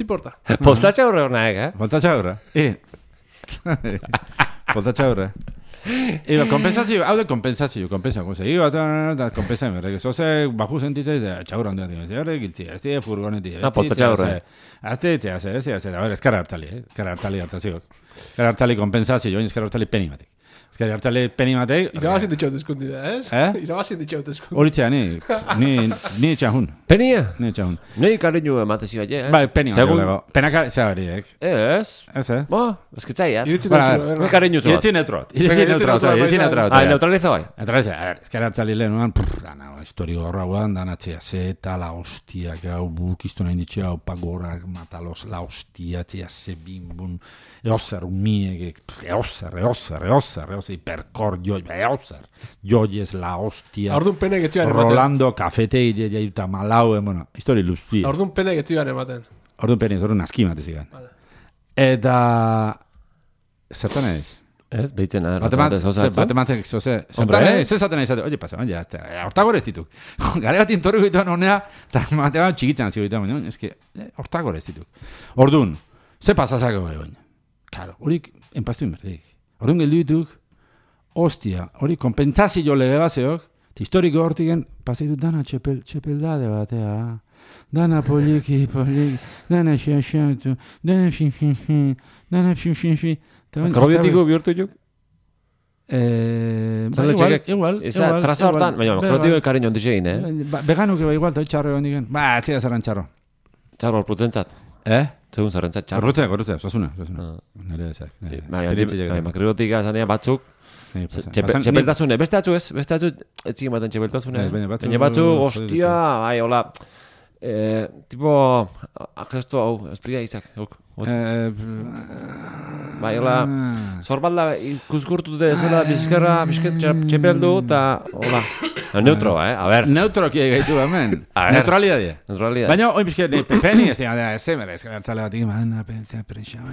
Speaker 3: Tiporta.
Speaker 1: Poltzatxa horre hornaek, eh?
Speaker 2: Poltza txagurre. Eh. Poltza txagurre. Iba, kompensazio, hau de kompensazio, kompensa, goza. Iba, eta kompensa, berrek. Zoze, baju sentitzaiz, gitza handia dira. Zerre, giltzi, ez dira furgoneti.
Speaker 1: Ah, poltza txagurre.
Speaker 2: Azte, ez dira, ez dira, a ver, eskara hartali, eh? Eskara hartali hartaziok. Eskara hartali kompensazio, join eskara hartali peni batek. Eskara hartali peni batek.
Speaker 3: Irabazin ditxaut eskundi da, ez?
Speaker 2: Eh?
Speaker 3: Irabazin ditxaut eskundi.
Speaker 2: Horitzea, ni, ni, ni etxahun,
Speaker 1: Penia?
Speaker 2: ni etxahun.
Speaker 1: Nei kariñu ematezi bai, eh?
Speaker 2: Bai, peni bat
Speaker 1: Segun-
Speaker 2: lego. Penaka, zea horiek.
Speaker 1: Ez.
Speaker 2: Ez, eh?
Speaker 1: Bo, eskitzaiat.
Speaker 3: Iritzi
Speaker 2: Bara,
Speaker 3: dut,
Speaker 1: Nei
Speaker 3: berra.
Speaker 1: kariñu zuat.
Speaker 2: Iritzi neutrot,
Speaker 3: Venga,
Speaker 2: iritzi
Speaker 3: iritzi
Speaker 2: neutrot,
Speaker 3: neutrot,
Speaker 2: iritzi
Speaker 3: bai,
Speaker 2: neutrot.
Speaker 1: Ah, neutraliza bai.
Speaker 2: Eta ez, a ver, ezkara hartzali lehenuan, prr, dana, historio horra guan, dana txea, zeta, la hostia, gau, bukiztu nahi ditxea, opa gorak, matalos, la hostia, txea, ze bimbun, eozer, umiek, eozer, eozer, eozer, eozer, hiperkor, joi, eozer, joiez, la hostia,
Speaker 3: Ordun pene getzigan ematen.
Speaker 2: Rolando, kafete, jaiuta, malau, eh, bueno, histori luztia.
Speaker 3: Ordun pene getzigan ematen.
Speaker 2: Orduan peniz, orduan aski matezigan.
Speaker 3: Vale.
Speaker 2: Eta... zertan ez?
Speaker 1: Ez, behitzen ara.
Speaker 2: Batematek, zoze, zertan ez, ez zaten ez, oye, pasa, oye, hortagor ez dituk. Gare bat intorri goituan honea, eta matematik txikitzen zio goituan, ez que, hortagor ez dituk. Ordun, ze pasazako egon? Claro, horik, enpastu inberdik. Ordun geldu dituk, hostia, hori kompentsazio lege baseok, historiko hortiken, pasaitu dana txepel, txepeldade batea, dana poliki, poliki, dana xaxatu, dana xinxinxin, dana xinxinxin.
Speaker 1: Akrobiotiko bihurtu juk?
Speaker 2: Eh,
Speaker 1: Zale
Speaker 2: igual,
Speaker 1: txekek.
Speaker 2: igual,
Speaker 1: Eza,
Speaker 2: igual,
Speaker 1: traza
Speaker 2: igual.
Speaker 1: hortan, baina, akrobiotiko ekaren jondi segin, eh?
Speaker 2: Ba, veganuke ba igual, eta txarro egon digen. Ba, atzia zerran txarro.
Speaker 1: Txarro, horputzentzat.
Speaker 2: Eh?
Speaker 1: Segun zerrentzat txarro.
Speaker 2: Gorrutze, gorrutze, osasuna, osasuna. Nere ezak.
Speaker 1: Baina, makriotika esan dira batzuk, txepeltasune, beste atzu ez, beste atzu etzik ematen txepeltasune.
Speaker 2: Baina batzu,
Speaker 1: Baina batzu, hostia, bai, hola, eh, tipo, gesto hau, espria izak, huk. Bai, hola, zorbalda ikuskurtute zela bizkerra, bizket txepeldu, eta, hola, neutro, eh, a ber.
Speaker 2: Neutroki gaitu hemen, neutralidade.
Speaker 1: Neutralidade.
Speaker 2: Baina, oin bizket, pepeni, ez dira, ez zemera, ez gertzale batik, baina, pentsa, presa,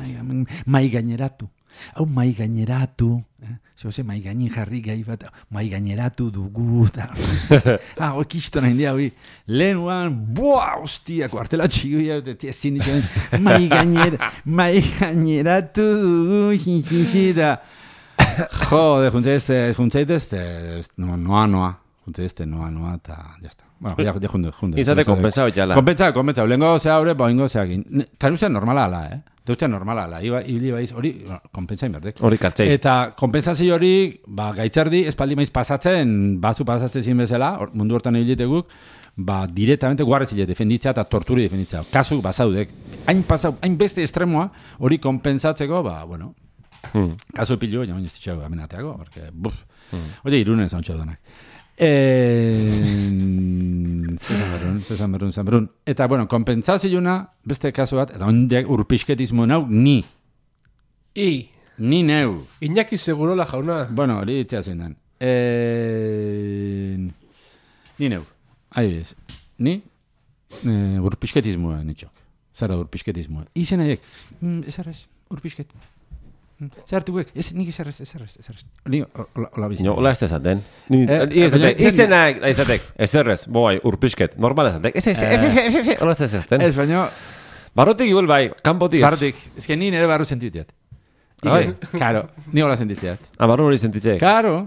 Speaker 2: mai gaineratu. Hau mai gaineratu, eh? Zose, mai gainin jarri gai bat, mai gaineratu dugu, eta... ah, hoi kisto nahi dia, hoi. Lehenuan, boa, hostia, kuartela txiguia, eta ezin ditzen, mai gainer, mai gaineratu dugu, xixixi, da... Jode, juntzaitezte, juntzaitezte, noa, noa, juntzaitezte, noa, noa, eta, jazta. Bueno, ya, ya junde, junde.
Speaker 1: Izate kompensao jala.
Speaker 2: Kompensao, kompensao. Lengo zea hori, boingo zeakin. Tan ustean normala ala, eh? Te ustean normala ala. Iba, ibili baiz, hori, kompensain berdek.
Speaker 1: Hori kartzei.
Speaker 2: Eta kompensazio hori, ba, gaitzerdi, espaldi maiz pasatzen, bazu pasatzen zin bezala, mundu hortan ebiliteguk, ba, directamente guarrez hile defenditzea eta torturi defenditzea. Kasu, bazaudek. Hain pasau, hain beste estremoa, hori kompensatzeko, ba, bueno, hmm. kasu pilu, baina baina ez ditxego amenateago, porque, buf, hmm. oye, irunen zauntxo donak. Eh, Zezan berrun, zezan berrun, zezan berrun. Eta, bueno, kompensaziouna, beste kasu bat, eta ondiak urpisketismo nau, ni.
Speaker 3: I.
Speaker 2: Ni neu.
Speaker 3: Iñaki Segurola jauna.
Speaker 2: Bueno, hori itzea zein den. Eh, ni neu. Adibidez, ni eh, urpisketismoa nitxok. Zara urpisketismoa. Izen aiek, mm, ezarrez, urpisket. Zertuek, ez nik ezarrez, ezarrez, ezarrez. Ni hola bizi.
Speaker 1: No, hola ez ezaten. Izenak, izatek, ezerrez, boi, urpisket, normal ezatek. Ez ez, hola ez ezaten.
Speaker 2: Ez, baina...
Speaker 1: Barrotik igual bai, kanpotik ez.
Speaker 2: Barrotik, ez que ni nire barru sentitiat. Karo, ni hola sentitiat.
Speaker 1: Ah, barru hori sentitzeek.
Speaker 2: Karo,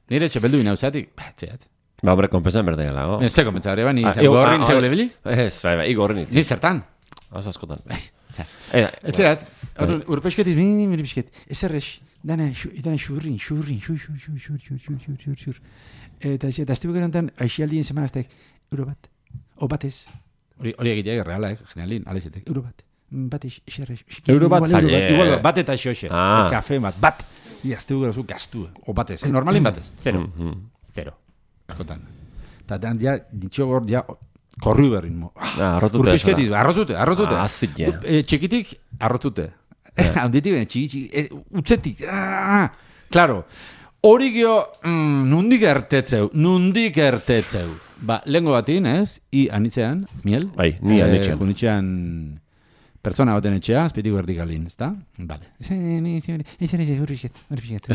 Speaker 2: nire txepeldu inauzatik, batzeat.
Speaker 1: Ba, hombre, kompensan berde gala, go.
Speaker 2: Ez ze kompensa, hori ba, ni gorri ni zegole bili?
Speaker 1: Ez, bai, bai, igorri nitz.
Speaker 2: Ni zertan.
Speaker 1: Oso askotan.
Speaker 2: Ez zerat, urpesketiz, mini, mini pisket. Ez errez, dana xurrin, xurrin, xur, xur, xur, xur, xur, xur, xur, xur, xur. Eta ez, eta aztebuk erantan, aixialdien semana euro bat, o batez. Hori egiteak erreala, generalin, alezetek, euro bat. Bat ez, xerrez.
Speaker 1: Euro bat zaile.
Speaker 2: Igual, bat eta xoxe, kafe bat, bat. I aztebuk erazu gastu, o batez, normalin batez, zero. Zero. Askotan. Eta dan, ja, ditxogor, ja, korru berrin mo.
Speaker 1: Ah, arrotute.
Speaker 2: Urpisketiz, arrotute, arrotute.
Speaker 1: Ah, zitxe.
Speaker 2: Txikitik, arrotute. Handitik, txiki, txiki, utzetik. Claro, hori gio, nundik ertetzeu, nundik ertetzeu. Ba, lehenko batin, ez? I anitzean, miel.
Speaker 1: Bai, ni anitzean.
Speaker 2: Junitzean, pertsona baten etxea, azpitik vertikalin, ez da? Vale.
Speaker 1: Ez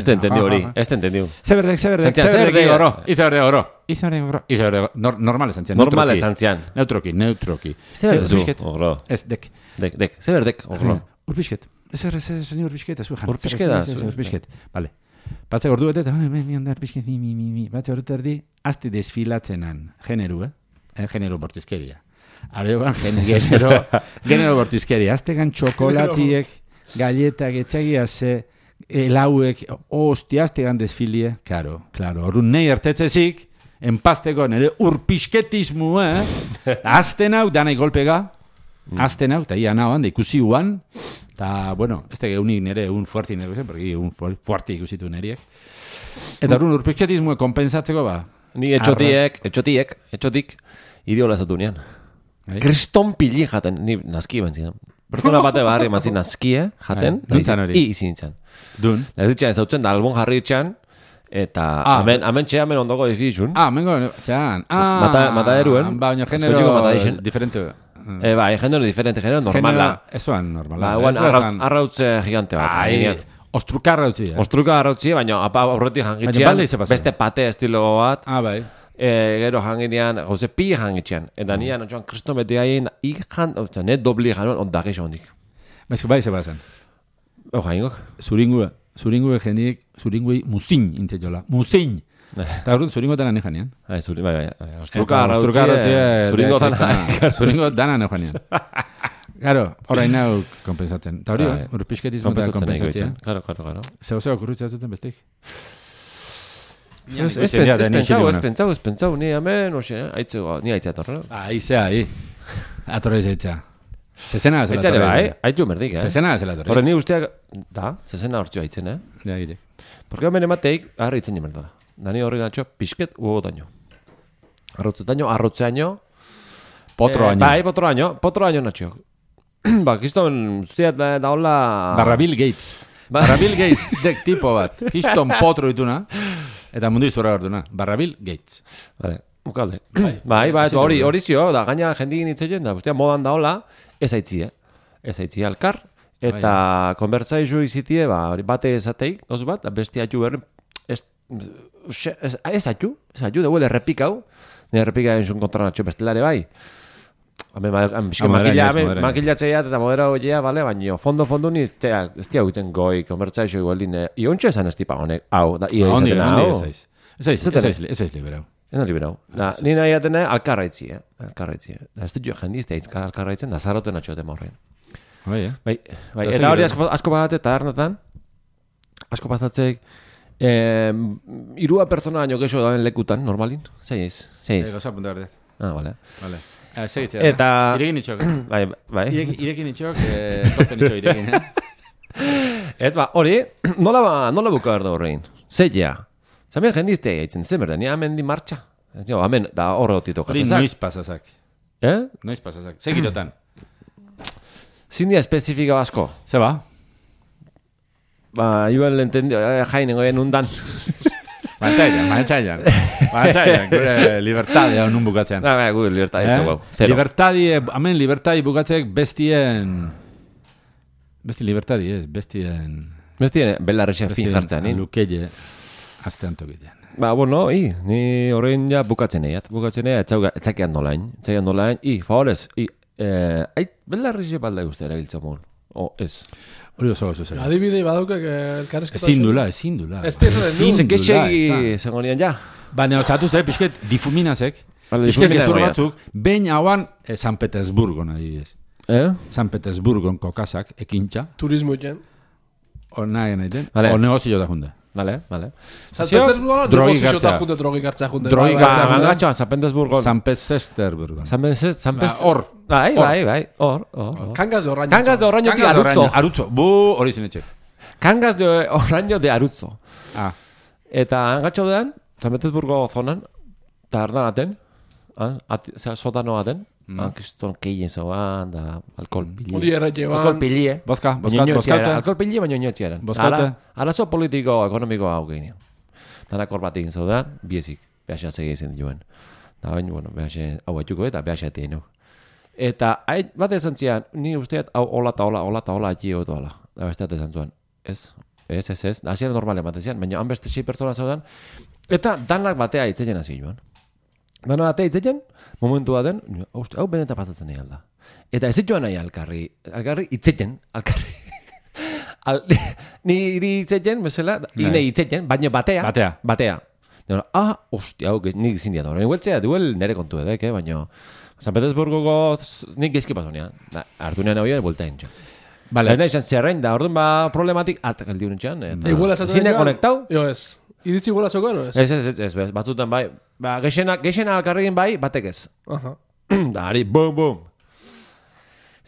Speaker 1: te entendiu hori, ez te entendiu.
Speaker 2: Zeberdek, zeberdek, zeberdek oro. Izaberdek oro. Izaberdek oro. Izaberdek oro. Normale zantzian.
Speaker 1: Normale zantzian.
Speaker 2: Neutroki, neutroki.
Speaker 1: Zeberdek, ogro.
Speaker 2: Ez, dek.
Speaker 1: Dek, dek, zeberdek, ogro.
Speaker 2: Urpisket. Ez errez, ez ni urpisket, ez ujan.
Speaker 1: Urpisketa.
Speaker 2: Urpisket, vale. Batze gordu bete, eta mi onda urpisket, mi, mi, mi, mi. Batze gordu erdi, azte desfilatzenan, generu, eh? Generu bortizkeria. Areban, genero, genero bortizkeria. Aztegan txokolatiek, galletak, etxagia ze, elauek, hostia, aztegan desfilie. Karo, klaro, horun nahi ertetzezik, enpasteko nire urpisketismu, eh? Azten hau, danai golpega, azten hau, eta ia nahoan, da ikusi uan, eta, bueno, ez tege unik nire, un fuerti nire, zen, porque un fuerti ikusitu niriek. Eta horun urpisketismu kompensatzeko, ba.
Speaker 1: Ni etxotiek, etxotiek, etxotik, iriola zatu nian. Kriston pili jaten, ni nazki bantzien. Pertsona bate barri mantzien nazkie jaten, i izin nintzen.
Speaker 2: Dun.
Speaker 1: Ez ditxan, zautzen da albon jarri itxan, eta amen txea men ondoko difizun.
Speaker 2: Ah, mengo, zean.
Speaker 1: Mata eruen.
Speaker 2: Ba, baina genero diferente.
Speaker 1: Ba, genero diferente, genero normala.
Speaker 2: Ez oan normala.
Speaker 1: Ba, arrautze gigante bat.
Speaker 2: Ostrukarra utzi, eh?
Speaker 1: Ostruka arrautzi, baina apa aurretik
Speaker 2: Baina
Speaker 1: jangitxean,
Speaker 2: balde ize pasan.
Speaker 1: beste pate estilo bat,
Speaker 2: Ah, bai.
Speaker 1: e, gero janginean, goze pi jangitxean. Eta nian, otxoan, kriston beti hain, ikan, otxoan, net dobli januen, ondak eixo hondik.
Speaker 2: Baina bai ze pasan.
Speaker 1: Oja, ingok?
Speaker 2: Zuringue, zuringue jendik, zuringue muzin intzetxola. Muzin! Eta hori zuringo dana ne janean.
Speaker 1: Bai, zuri, bai, bai. Ostruka arrautzi,
Speaker 2: Ostruka arrautzi,
Speaker 1: zuringo dana.
Speaker 2: Zuringo dana ne janean. Claro, orain hau kompensatzen. Eta hori,
Speaker 1: Bai.
Speaker 2: hori pixketismo eta
Speaker 1: Kompensatzen
Speaker 2: kompensatzea.
Speaker 1: egiten. Claro, claro, claro.
Speaker 2: Zeu zeu okurritzea zuten bestik?
Speaker 1: Ez ez pen- ez pentsau, ez pentsau, ez pentsau, ni hemen, oxe, aitzego, ni aitzea torre.
Speaker 2: Ah, izea, ahi. Atorre izaitza. Zezena zela
Speaker 1: Aitzare bai, aitzu merdik, eh?
Speaker 2: Zezena zela torre.
Speaker 1: Horre, ni usteak, da, zezena hortxo aitzen, eh?
Speaker 2: Ja, gire.
Speaker 1: Porque hemen emateik, agarra itzen jemerdala. Dani horri gatxo, pixket, uogo daño. Arrotze daño, arrotze daño.
Speaker 2: Potro
Speaker 1: Eh,
Speaker 2: año.
Speaker 1: Bai, potro daño, potro daño natxo. Ba, kiston, usteat da, da hola...
Speaker 2: Barra Bill Gates.
Speaker 1: Ba-
Speaker 2: Barra Bill Gates dek tipo bat. Kiston potro dituna. Eta mundu izurra hartuna. Barra Bill Gates.
Speaker 1: Vale, ukalde. Bai, bai, hori, hori zio, da, gaina jendik nitzeien, da, ustea modan da hola, ez aitzi, eh? Ez aitzi alkar, eta konbertsaizu izitie, ba, hori bate ezateik, oz bat, da bestia ju berri, ez, ez, ez atu, ez atu, da huele errepikau, nire errepika entzun kontra natxo bestelare bai. Hame, ma, am,
Speaker 2: Ah, moderaino
Speaker 1: makila,
Speaker 2: ez, moderaino.
Speaker 1: makilatzeia eta modera hoiea, bale, baina fondo, fondo ni, txea, ez tia huitzen goi, konbertsaizu igualdin, iontxo esan ez tipa honek, hau, da, ia
Speaker 2: Ondi,
Speaker 1: izatena,
Speaker 2: ondi
Speaker 1: hau.
Speaker 2: ez aiz. Ez aiz, ez aiz, ez aiz liberau.
Speaker 1: Ena liberau. Da, ni nahi atene alkarraitzi, eh? Alkarraitzi, eh? Da, ez dut jo jendiz da itzka alkarraitzen, da zaroten atxote morren.
Speaker 2: Bai, eh?
Speaker 1: Bai, bai,
Speaker 2: Da,
Speaker 1: eta
Speaker 2: zer
Speaker 1: hori
Speaker 2: gero?
Speaker 1: asko, asko pasatzek, tabernetan, asko pasatzeik, eh, irua pertsona baino gexo dauen lekutan, normalin, zei ez, zei
Speaker 2: Eh,
Speaker 1: ez.
Speaker 2: Gauza punta berdez.
Speaker 1: Ah, vale.
Speaker 2: Vale. Eh, segitzea.
Speaker 1: Eta-
Speaker 2: Irekin itxok. eh?
Speaker 1: Bai, bai.
Speaker 2: Ireki- Irekin itxok, eh, topen itxok irekin, eh?
Speaker 1: Ez ba, hori, nola, ba, nola buka berdo horrein, zeia. Zamen jendizte gaitzen, zen berda, ni hemen di martxa. Jo, hemen, da horre otito
Speaker 2: Hori
Speaker 1: jatzezak.
Speaker 2: noiz pasazak.
Speaker 1: Eh?
Speaker 2: Noiz pasazak. Segirotan.
Speaker 1: Zindia espezifika basko.
Speaker 2: Ze ba?
Speaker 1: Ba, igual entendio, eh, jain goien undan.
Speaker 2: Bantzailan, bantzailan. Bantzailan, gure libertadia nun bukatzean.
Speaker 1: Ah, bai, gu libertad
Speaker 2: Eh?
Speaker 1: etxo, gau. Zero.
Speaker 2: Libertadi, hemen libertadi bukatzek bestien... Besti libertadi, ez, bestien...
Speaker 1: Bestien, belarrexen fin jartzen, ni?
Speaker 2: Lukeie, aztean tokitean.
Speaker 1: Ba, bueno, i, ni horrein ja bukatzen eiat. Bukatzen eiat, etzakean nolain. Etzakean nolain, i, favorez, i, eh, ait, belarrexe balda guzti erabiltzen mun. O, ez.
Speaker 2: Hori oso oso zer.
Speaker 3: Adibidei badauke elkarrezketa.
Speaker 2: Ezin dula, ezin dula.
Speaker 3: Ez tezo den du.
Speaker 2: Ezin
Speaker 1: Zeke
Speaker 2: dula,
Speaker 1: segi
Speaker 2: ezan.
Speaker 1: zengonian ja.
Speaker 2: Baina, osatu ze, pixket difuminazek.
Speaker 1: Vale,
Speaker 2: Pixket
Speaker 1: difumina
Speaker 2: gezur
Speaker 1: goia.
Speaker 2: batzuk, behin hauan eh, San Petersburgon adibidez.
Speaker 1: Eh?
Speaker 2: San Petersburgon kokasak, ekintxa,
Speaker 3: Turismo iten.
Speaker 2: hor nahi egiten,
Speaker 1: Vale.
Speaker 2: hor negozio da junde.
Speaker 1: Vale, vale.
Speaker 3: San
Speaker 1: Zio?
Speaker 3: Petersburgo
Speaker 2: drogi
Speaker 3: negozio
Speaker 2: gartzea.
Speaker 3: ta junte, drogi gartzea junte.
Speaker 2: Drogi
Speaker 3: Bai, bai.
Speaker 2: gartzea.
Speaker 1: Ba,
Speaker 2: junta?
Speaker 1: mangatxoan, San Petersburgon.
Speaker 2: San Petersburgon.
Speaker 1: San Petersburgon. San
Speaker 2: Ba,
Speaker 1: Petersburgon.
Speaker 2: hor.
Speaker 1: Bai,
Speaker 2: Hor.
Speaker 1: bai, bai. Hor, hor. hor.
Speaker 3: Kangas de oraño.
Speaker 1: Kangas de Oraño de
Speaker 2: Kangas de
Speaker 1: Arutzo.
Speaker 2: Oraño, Arutzo. Bu, hori zinetxe.
Speaker 1: Kangas de Oraño de Arutzo.
Speaker 2: Ah,
Speaker 1: Eta angatxo dean, San Petersburgo zonan, eta ardan aten, ah, at, zera, sotano aten, mm. ah, kiston keien zoan, da, alkohol pili.
Speaker 3: Odi erretxe
Speaker 1: Alkohol
Speaker 3: ban.
Speaker 1: pili, eh?
Speaker 2: bozka,
Speaker 1: Baina
Speaker 2: bozka,
Speaker 1: inoetxe era,
Speaker 2: bozkaute.
Speaker 1: alkohol pili, baina inoetxe eran.
Speaker 2: Bozkaute.
Speaker 1: Ara- Arazo politiko, ekonomiko hau gehinean. Danak hor bat egin zaudan, biezik, behaxa segi izan duen. Da baina, bueno, behaxe hau baituko eta behaxa etien hau. Eta, hain, bat esan zian, ni usteat, hau, hola eta hola, hola eta hola, atxi egotu hola. Da besteat esan zuen, ez, ez, ez, ez, hasiera normalen bat ezian, baina han beste sei pertsona zaudan, eta danak batea itzeien hasi joan. Danak batea itzeien, momentu baten, uste, hau benetan pasatzen nahi alda. Eta ez joan nahi alkarri, alkarri itzeien, alkarri. Al, ni iri itzeien, bezala, ine itzeien, baina batea.
Speaker 2: Batea.
Speaker 1: Batea. Deno, ah, ostia, hau, nik izin diat horrein. Hueltzea, duel nere kontu edek, eh, baina... San Petersburgoko nik gezki pasonean. Artu nean hau buelta entxo.
Speaker 2: Vale.
Speaker 1: Baina izan zerrein, da orduan ba problematik altak aldi unetxean.
Speaker 3: Iguala esatu
Speaker 1: Zine
Speaker 3: nahi
Speaker 1: konektau?
Speaker 3: Jo, ez. Iritzi iguala zeukan, o ez?
Speaker 1: Ez, ez, ez, ez, ez, batzutan bai. Ba, gexena, gexena alkarregin bai, batek ez.
Speaker 3: Aha.
Speaker 1: Da, ari, bum, bum.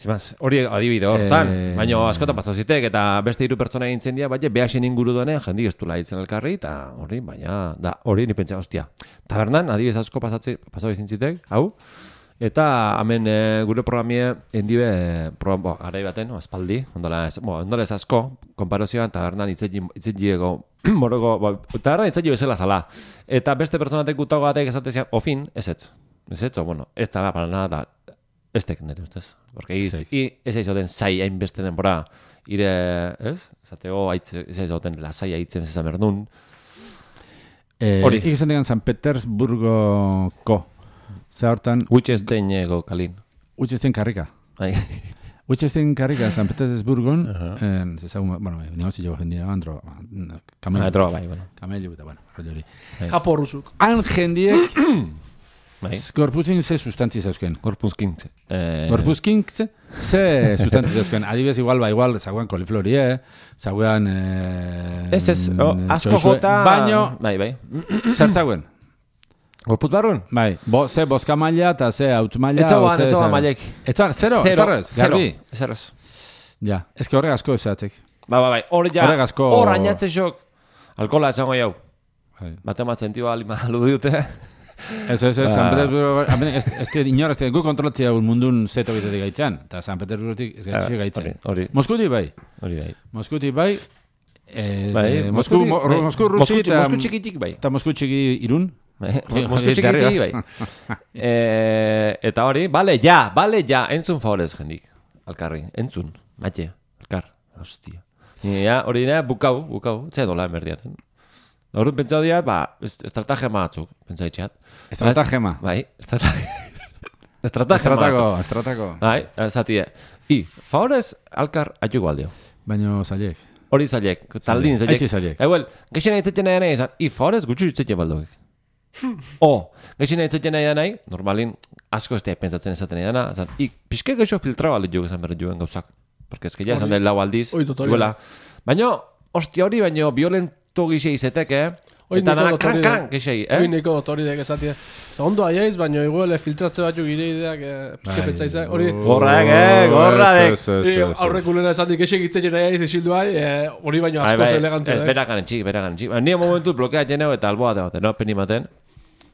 Speaker 1: Zimaz, hori adibide hortan,
Speaker 2: Eh,
Speaker 1: baina askotan pasau zitek, eta beste hiru pertsona egintzen dira, baina behasen inguru duenean jendik ez du laitzen elkarri, eta hori, baina, da, hori ni pentsa, ostia. Tabernan, adibidez asko pasatze, pasau izin zitek, hau, eta hemen e, gure programie, hendibe, e, program, bo, garai baten, o, espaldi, ondola ez, bo, ondola ez asko, konparazioan, tabernan itzetiego, moroko, bo, tabernan itzetiego bezala zala. Eta beste pertsonatek gutago batek esatezian, ofin, ez ez, ez ez, o, bueno, ez dara, para nada, da, ez tek nire ustez. Porque iz,
Speaker 2: Zeik.
Speaker 1: i, ez aizo den zai hainbeste denbora ire, ez? Zateo, aitze, ez zaten, lasai aitzen zezan berdun.
Speaker 2: Eh,
Speaker 1: Hori.
Speaker 2: Ik esan degan San Petersburgoko. Zer hortan,
Speaker 1: Gutxezten ego kalin.
Speaker 2: utxesten karrika.
Speaker 1: Bai.
Speaker 2: Utxesten karrika San Petersburgon,
Speaker 1: Aha.
Speaker 2: eh, zezagun, bueno, negozio jendia, andro,
Speaker 1: Ah,
Speaker 2: kamello,
Speaker 1: droga, bai, bueno.
Speaker 2: kamello, eta, bueno, rollo hori.
Speaker 3: Kapo rusuk.
Speaker 2: Han jendiek,
Speaker 1: Bai.
Speaker 2: gorputzin ze sustantzi zeuzken.
Speaker 1: Gorpuzkintze. Eh,
Speaker 2: Gorpuzkink ze, ze sustantzi zeuzken. Adibidez, igual, ba, igual, zaguan koliflorie, zaguan... Eh,
Speaker 1: Ez ez, oh, asko
Speaker 2: txoixue,
Speaker 1: jota...
Speaker 2: Baino,
Speaker 1: Bai, bai.
Speaker 2: zertzauen.
Speaker 1: Gorpuz barrun?
Speaker 2: Bai, bo, ze boska maila eta ze hautz maila.
Speaker 1: Etzagoan,
Speaker 2: o ze-
Speaker 1: etzagoan
Speaker 2: ze-
Speaker 1: mailek.
Speaker 2: Etzar, zero,
Speaker 1: Zero,
Speaker 2: ezarrez,
Speaker 1: zero.
Speaker 2: garbi.
Speaker 1: Ezarrez.
Speaker 2: Ja, ezke horrek asko esatzek.
Speaker 1: Ba, ba, bai. Hor ja,
Speaker 2: Horrek asko-
Speaker 1: hor ainatzen xok. Alkola esango jau.
Speaker 2: Bai.
Speaker 1: Bate matzen tioa lima alu dute.
Speaker 2: Ez, ez, ez,
Speaker 1: Ba.
Speaker 2: San Petersburgo, hemen ez, ez, ez, inor, ez, ez, gu kontrolatzea un mundun zeto egitetik gaitzan, eta San Petersburgotik ez gaitzea
Speaker 1: Hori,
Speaker 2: gaitzen.
Speaker 1: hori,
Speaker 2: Moskuti bai,
Speaker 1: hori bai.
Speaker 2: Moskuti bai, eh,
Speaker 1: Bai,
Speaker 2: eh, Mosku,
Speaker 1: Moskuti-
Speaker 2: Mo-
Speaker 1: bai.
Speaker 2: Mosku Rusi
Speaker 1: Mosku-
Speaker 2: eta,
Speaker 1: Mosku txikitik bai.
Speaker 2: eta Mosku txiki irun.
Speaker 1: Bai,
Speaker 2: Sí,
Speaker 1: Mosku
Speaker 2: hori,
Speaker 1: txikitik
Speaker 2: darri,
Speaker 1: bai. Eh, eta hori, bale, ja, bale, ja, entzun favorez jendik. Alkarri, entzun, matxe, alkar, hostia. Ni, ja, hori dira, bukau, bukau, txai dola emerdiaten. Horren pentsau dira, ba, est- estrategia batzuk, pentsa itxeat.
Speaker 2: Estratagema.
Speaker 1: Bai, estrategia. Estrategia
Speaker 2: Estratako,
Speaker 1: batzuk.
Speaker 2: estratako.
Speaker 1: Bai, zatie. I, favorez, alkar, atxuko aldio.
Speaker 2: Baino zailek.
Speaker 1: Hori zailek, taldin zailek.
Speaker 2: Aitzi zailek.
Speaker 1: Eguel, geixen aitzetzen nahi nahi izan, i, favorez, gutxu itzetzen baldogek. O, geixen aitzetzen nahi nahi, normalin, asko ez pentsatzen esaten nahi dana, zan, i, pixke geixo filtrau alde jogu esan berret joen gauzak. Porque ez que ya esan
Speaker 3: Hori.
Speaker 1: da lau aldiz.
Speaker 3: Hori dut hori
Speaker 1: iguela.
Speaker 3: da.
Speaker 1: Baina, hostia hori, baina violento gixe izetek, eh?
Speaker 3: Hoi
Speaker 1: Eta
Speaker 3: niko
Speaker 1: dana
Speaker 3: dut
Speaker 1: kran
Speaker 3: hori
Speaker 1: kran
Speaker 3: da.
Speaker 1: gixei,
Speaker 3: Hoi
Speaker 1: eh?
Speaker 3: niko dut hori dek esatia. Ondo aiaiz, baina igual filtratze batzuk gire ideak eh, pixke pentsaizak. Hori,
Speaker 1: Gorrak, eh, gorradek.
Speaker 2: Ez, ez, ez,
Speaker 3: eh,
Speaker 2: ez.
Speaker 3: aurrekulera esan dik esek itzen aiaiz esildu ai, eh, hori baino
Speaker 1: Bai,
Speaker 3: askoz
Speaker 1: bai,
Speaker 3: elegantea.
Speaker 1: ez,
Speaker 3: eh.
Speaker 1: berakan entxik, berakan entxik. Baina, nire momentu blokea jeneu eta alboa dagote, no? Peni maten.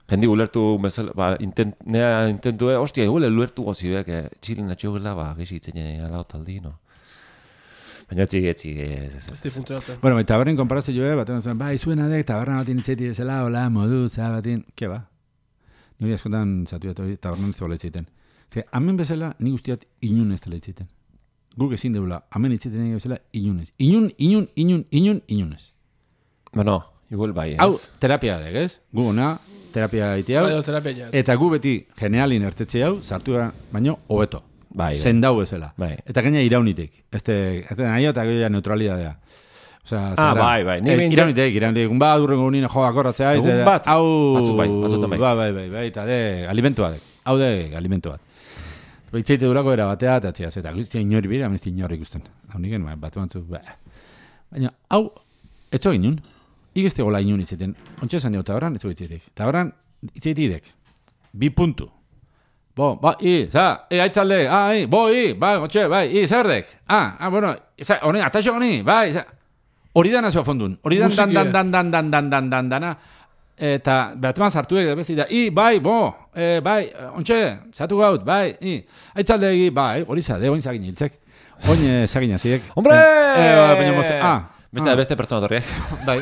Speaker 1: Jendi ulertu, mesel, ba, intent, nea intentu, eh, hostia, igual ulertu gozibek, eh, txilen atxogela, ba, geixi itzen jene ala otaldi, no? Baina etxik, etxik, ez, ez,
Speaker 3: Ez
Speaker 1: ez.
Speaker 3: di funtzionatzen.
Speaker 2: Bueno, eta tabernen konparazio joe, batean zuen, ba, izuena dek, taberna batin itzeti bezala, hola, modu, zera batin, ke ba? Nire askotan zatu eta hori, tabernan ez da itziten. Ze, hemen bezala, nik usteat inun ez dela itziten. Guk ezin deula, hemen itziten nahi bezala, inunez. Inun, inun, inun, inun, inunez.
Speaker 1: Bueno, igual bai, ez?
Speaker 2: Hau, terapia dek, ez? Gu ona, terapia egitea hau,
Speaker 3: Baina terapia ja.
Speaker 2: eta gu beti generalin ertetze hau, sartu gara, baino, hobeto.
Speaker 1: Bai, bai.
Speaker 2: Zendau bezala.
Speaker 1: Bai.
Speaker 2: Eta gaina iraunitik. Este, este nahi eta gero neutralidadea. Osea,
Speaker 1: Ah, bai, bai. Ni
Speaker 2: Eh,
Speaker 1: behintzat-
Speaker 2: Iraunitik, iraunitik. Egun bat, urrengo unine joa akorratzea.
Speaker 1: Egun
Speaker 2: eta-
Speaker 1: bat.
Speaker 2: Hau...
Speaker 1: Batzuk bai, batzuetan bai.
Speaker 2: Bai, bai, bai, bai, eta de, alimentu bat. Hau de, alimentu bat. Baitzeite durako era batea, eta txea, eta guztia inori bira, amezti inori ikusten. Hau niken, bai, bat batzuk, ba. Baina, hau, etzo inun. Igezte gola inun itzeten. Ontsa esan dugu, taberran, etzo itzetik. Taberran, itzetik bi puntu. Bo, ba, i, za, i, aitzalde, ah, i, bo, i, bai, gotxe, bai, i, zerdek. Ah, ah, bueno, za, honi, ataxo honi, bai, za. Hori dana zua fondun. Hori dan, dan, dan, dan, dan, dan, dan, dan, dan, dana. Eta, behatman zartu ege, besti da, i, bai, bo, e, bai, ontxe, zatu gaut, bai, i, aitzalde egi, bai, hori za, de, oin zagin hiltzek. Oin eh, zagin azidek.
Speaker 1: Hombre!
Speaker 2: Eh, eh, baina mozte, ah,
Speaker 1: Beste, beste pertsona torri, eh?
Speaker 2: bai.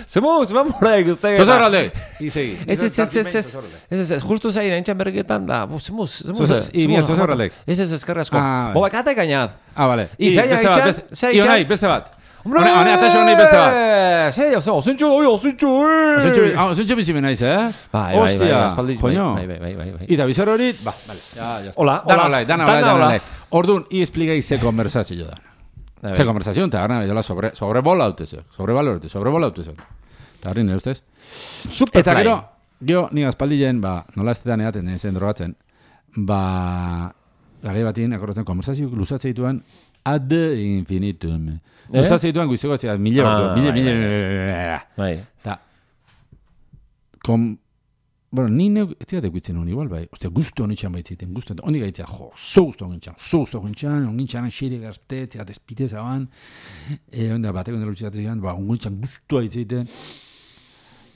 Speaker 1: Zemu, zemu mora ikuste.
Speaker 2: Zozar alde. I, segi.
Speaker 1: Ez, ez, ez, ez, ez, ez, ez, ez, justu zain, entxan berriketan da, bu, zemu, zemu,
Speaker 2: Zozar- i, mira, zozar aldek.
Speaker 1: Ez, ez, ezkerra asko.
Speaker 2: Ah,
Speaker 1: Bo, bakate gainat.
Speaker 2: Ah, vale.
Speaker 1: I, zai,
Speaker 2: beste bat,
Speaker 1: haitxan,
Speaker 2: beste-
Speaker 1: zai,
Speaker 2: I,
Speaker 1: haitxan.
Speaker 2: honai, beste bat. Hone, hone, ataxo honi beste bat.
Speaker 1: Zai, ozen, ozentxo, oi, ozentxo,
Speaker 2: Zentxu, ah, zentxu bizi benaiz, eh?
Speaker 1: Bai, bai, bai,
Speaker 2: Hostia,
Speaker 1: aspaldi,
Speaker 2: coño.
Speaker 1: bai, bai, bai, bai, bai.
Speaker 2: Ita bizar hori, ba, vale. Ya, ya. está.
Speaker 1: Hola,
Speaker 2: Dana
Speaker 1: hola.
Speaker 2: olai, dana
Speaker 1: Dana
Speaker 2: olai, dana
Speaker 1: hola.
Speaker 2: olai. Orduan, i expligai ze konversazio da.
Speaker 1: A
Speaker 2: Ze
Speaker 1: ver.
Speaker 2: konversazio, eta gara, edola sobre, sobrebola hautezio. Sobrebola hautezio, sobrebola hautezio. Eta harri nire ustez.
Speaker 1: Superfly.
Speaker 2: Eta gero, jo, ni aspaldien, ba, nola ez tetan eaten, ezen drogatzen, ba, gara batien, akordatzen, konversazio luzatzen dituan, ad infinitum.
Speaker 1: Eh?
Speaker 2: Luzatzen dituan, guizeko, txea, mile,
Speaker 1: Ah,
Speaker 2: ordu, mile,
Speaker 1: bai,
Speaker 2: mile,
Speaker 1: Bai.
Speaker 2: eta, kom, bueno, ni neu, ez ziatek guitzen honi, igual, bai, ostia, guztu honitxan baitziten, guztu, honi gaitzea, jo, zo guztu honitxan, zo guztu honitxan, honitxan, xire garte, ziat espite zaban, e, onda, bateko ondela utxatzen zian, ba, honitxan guztua itziten,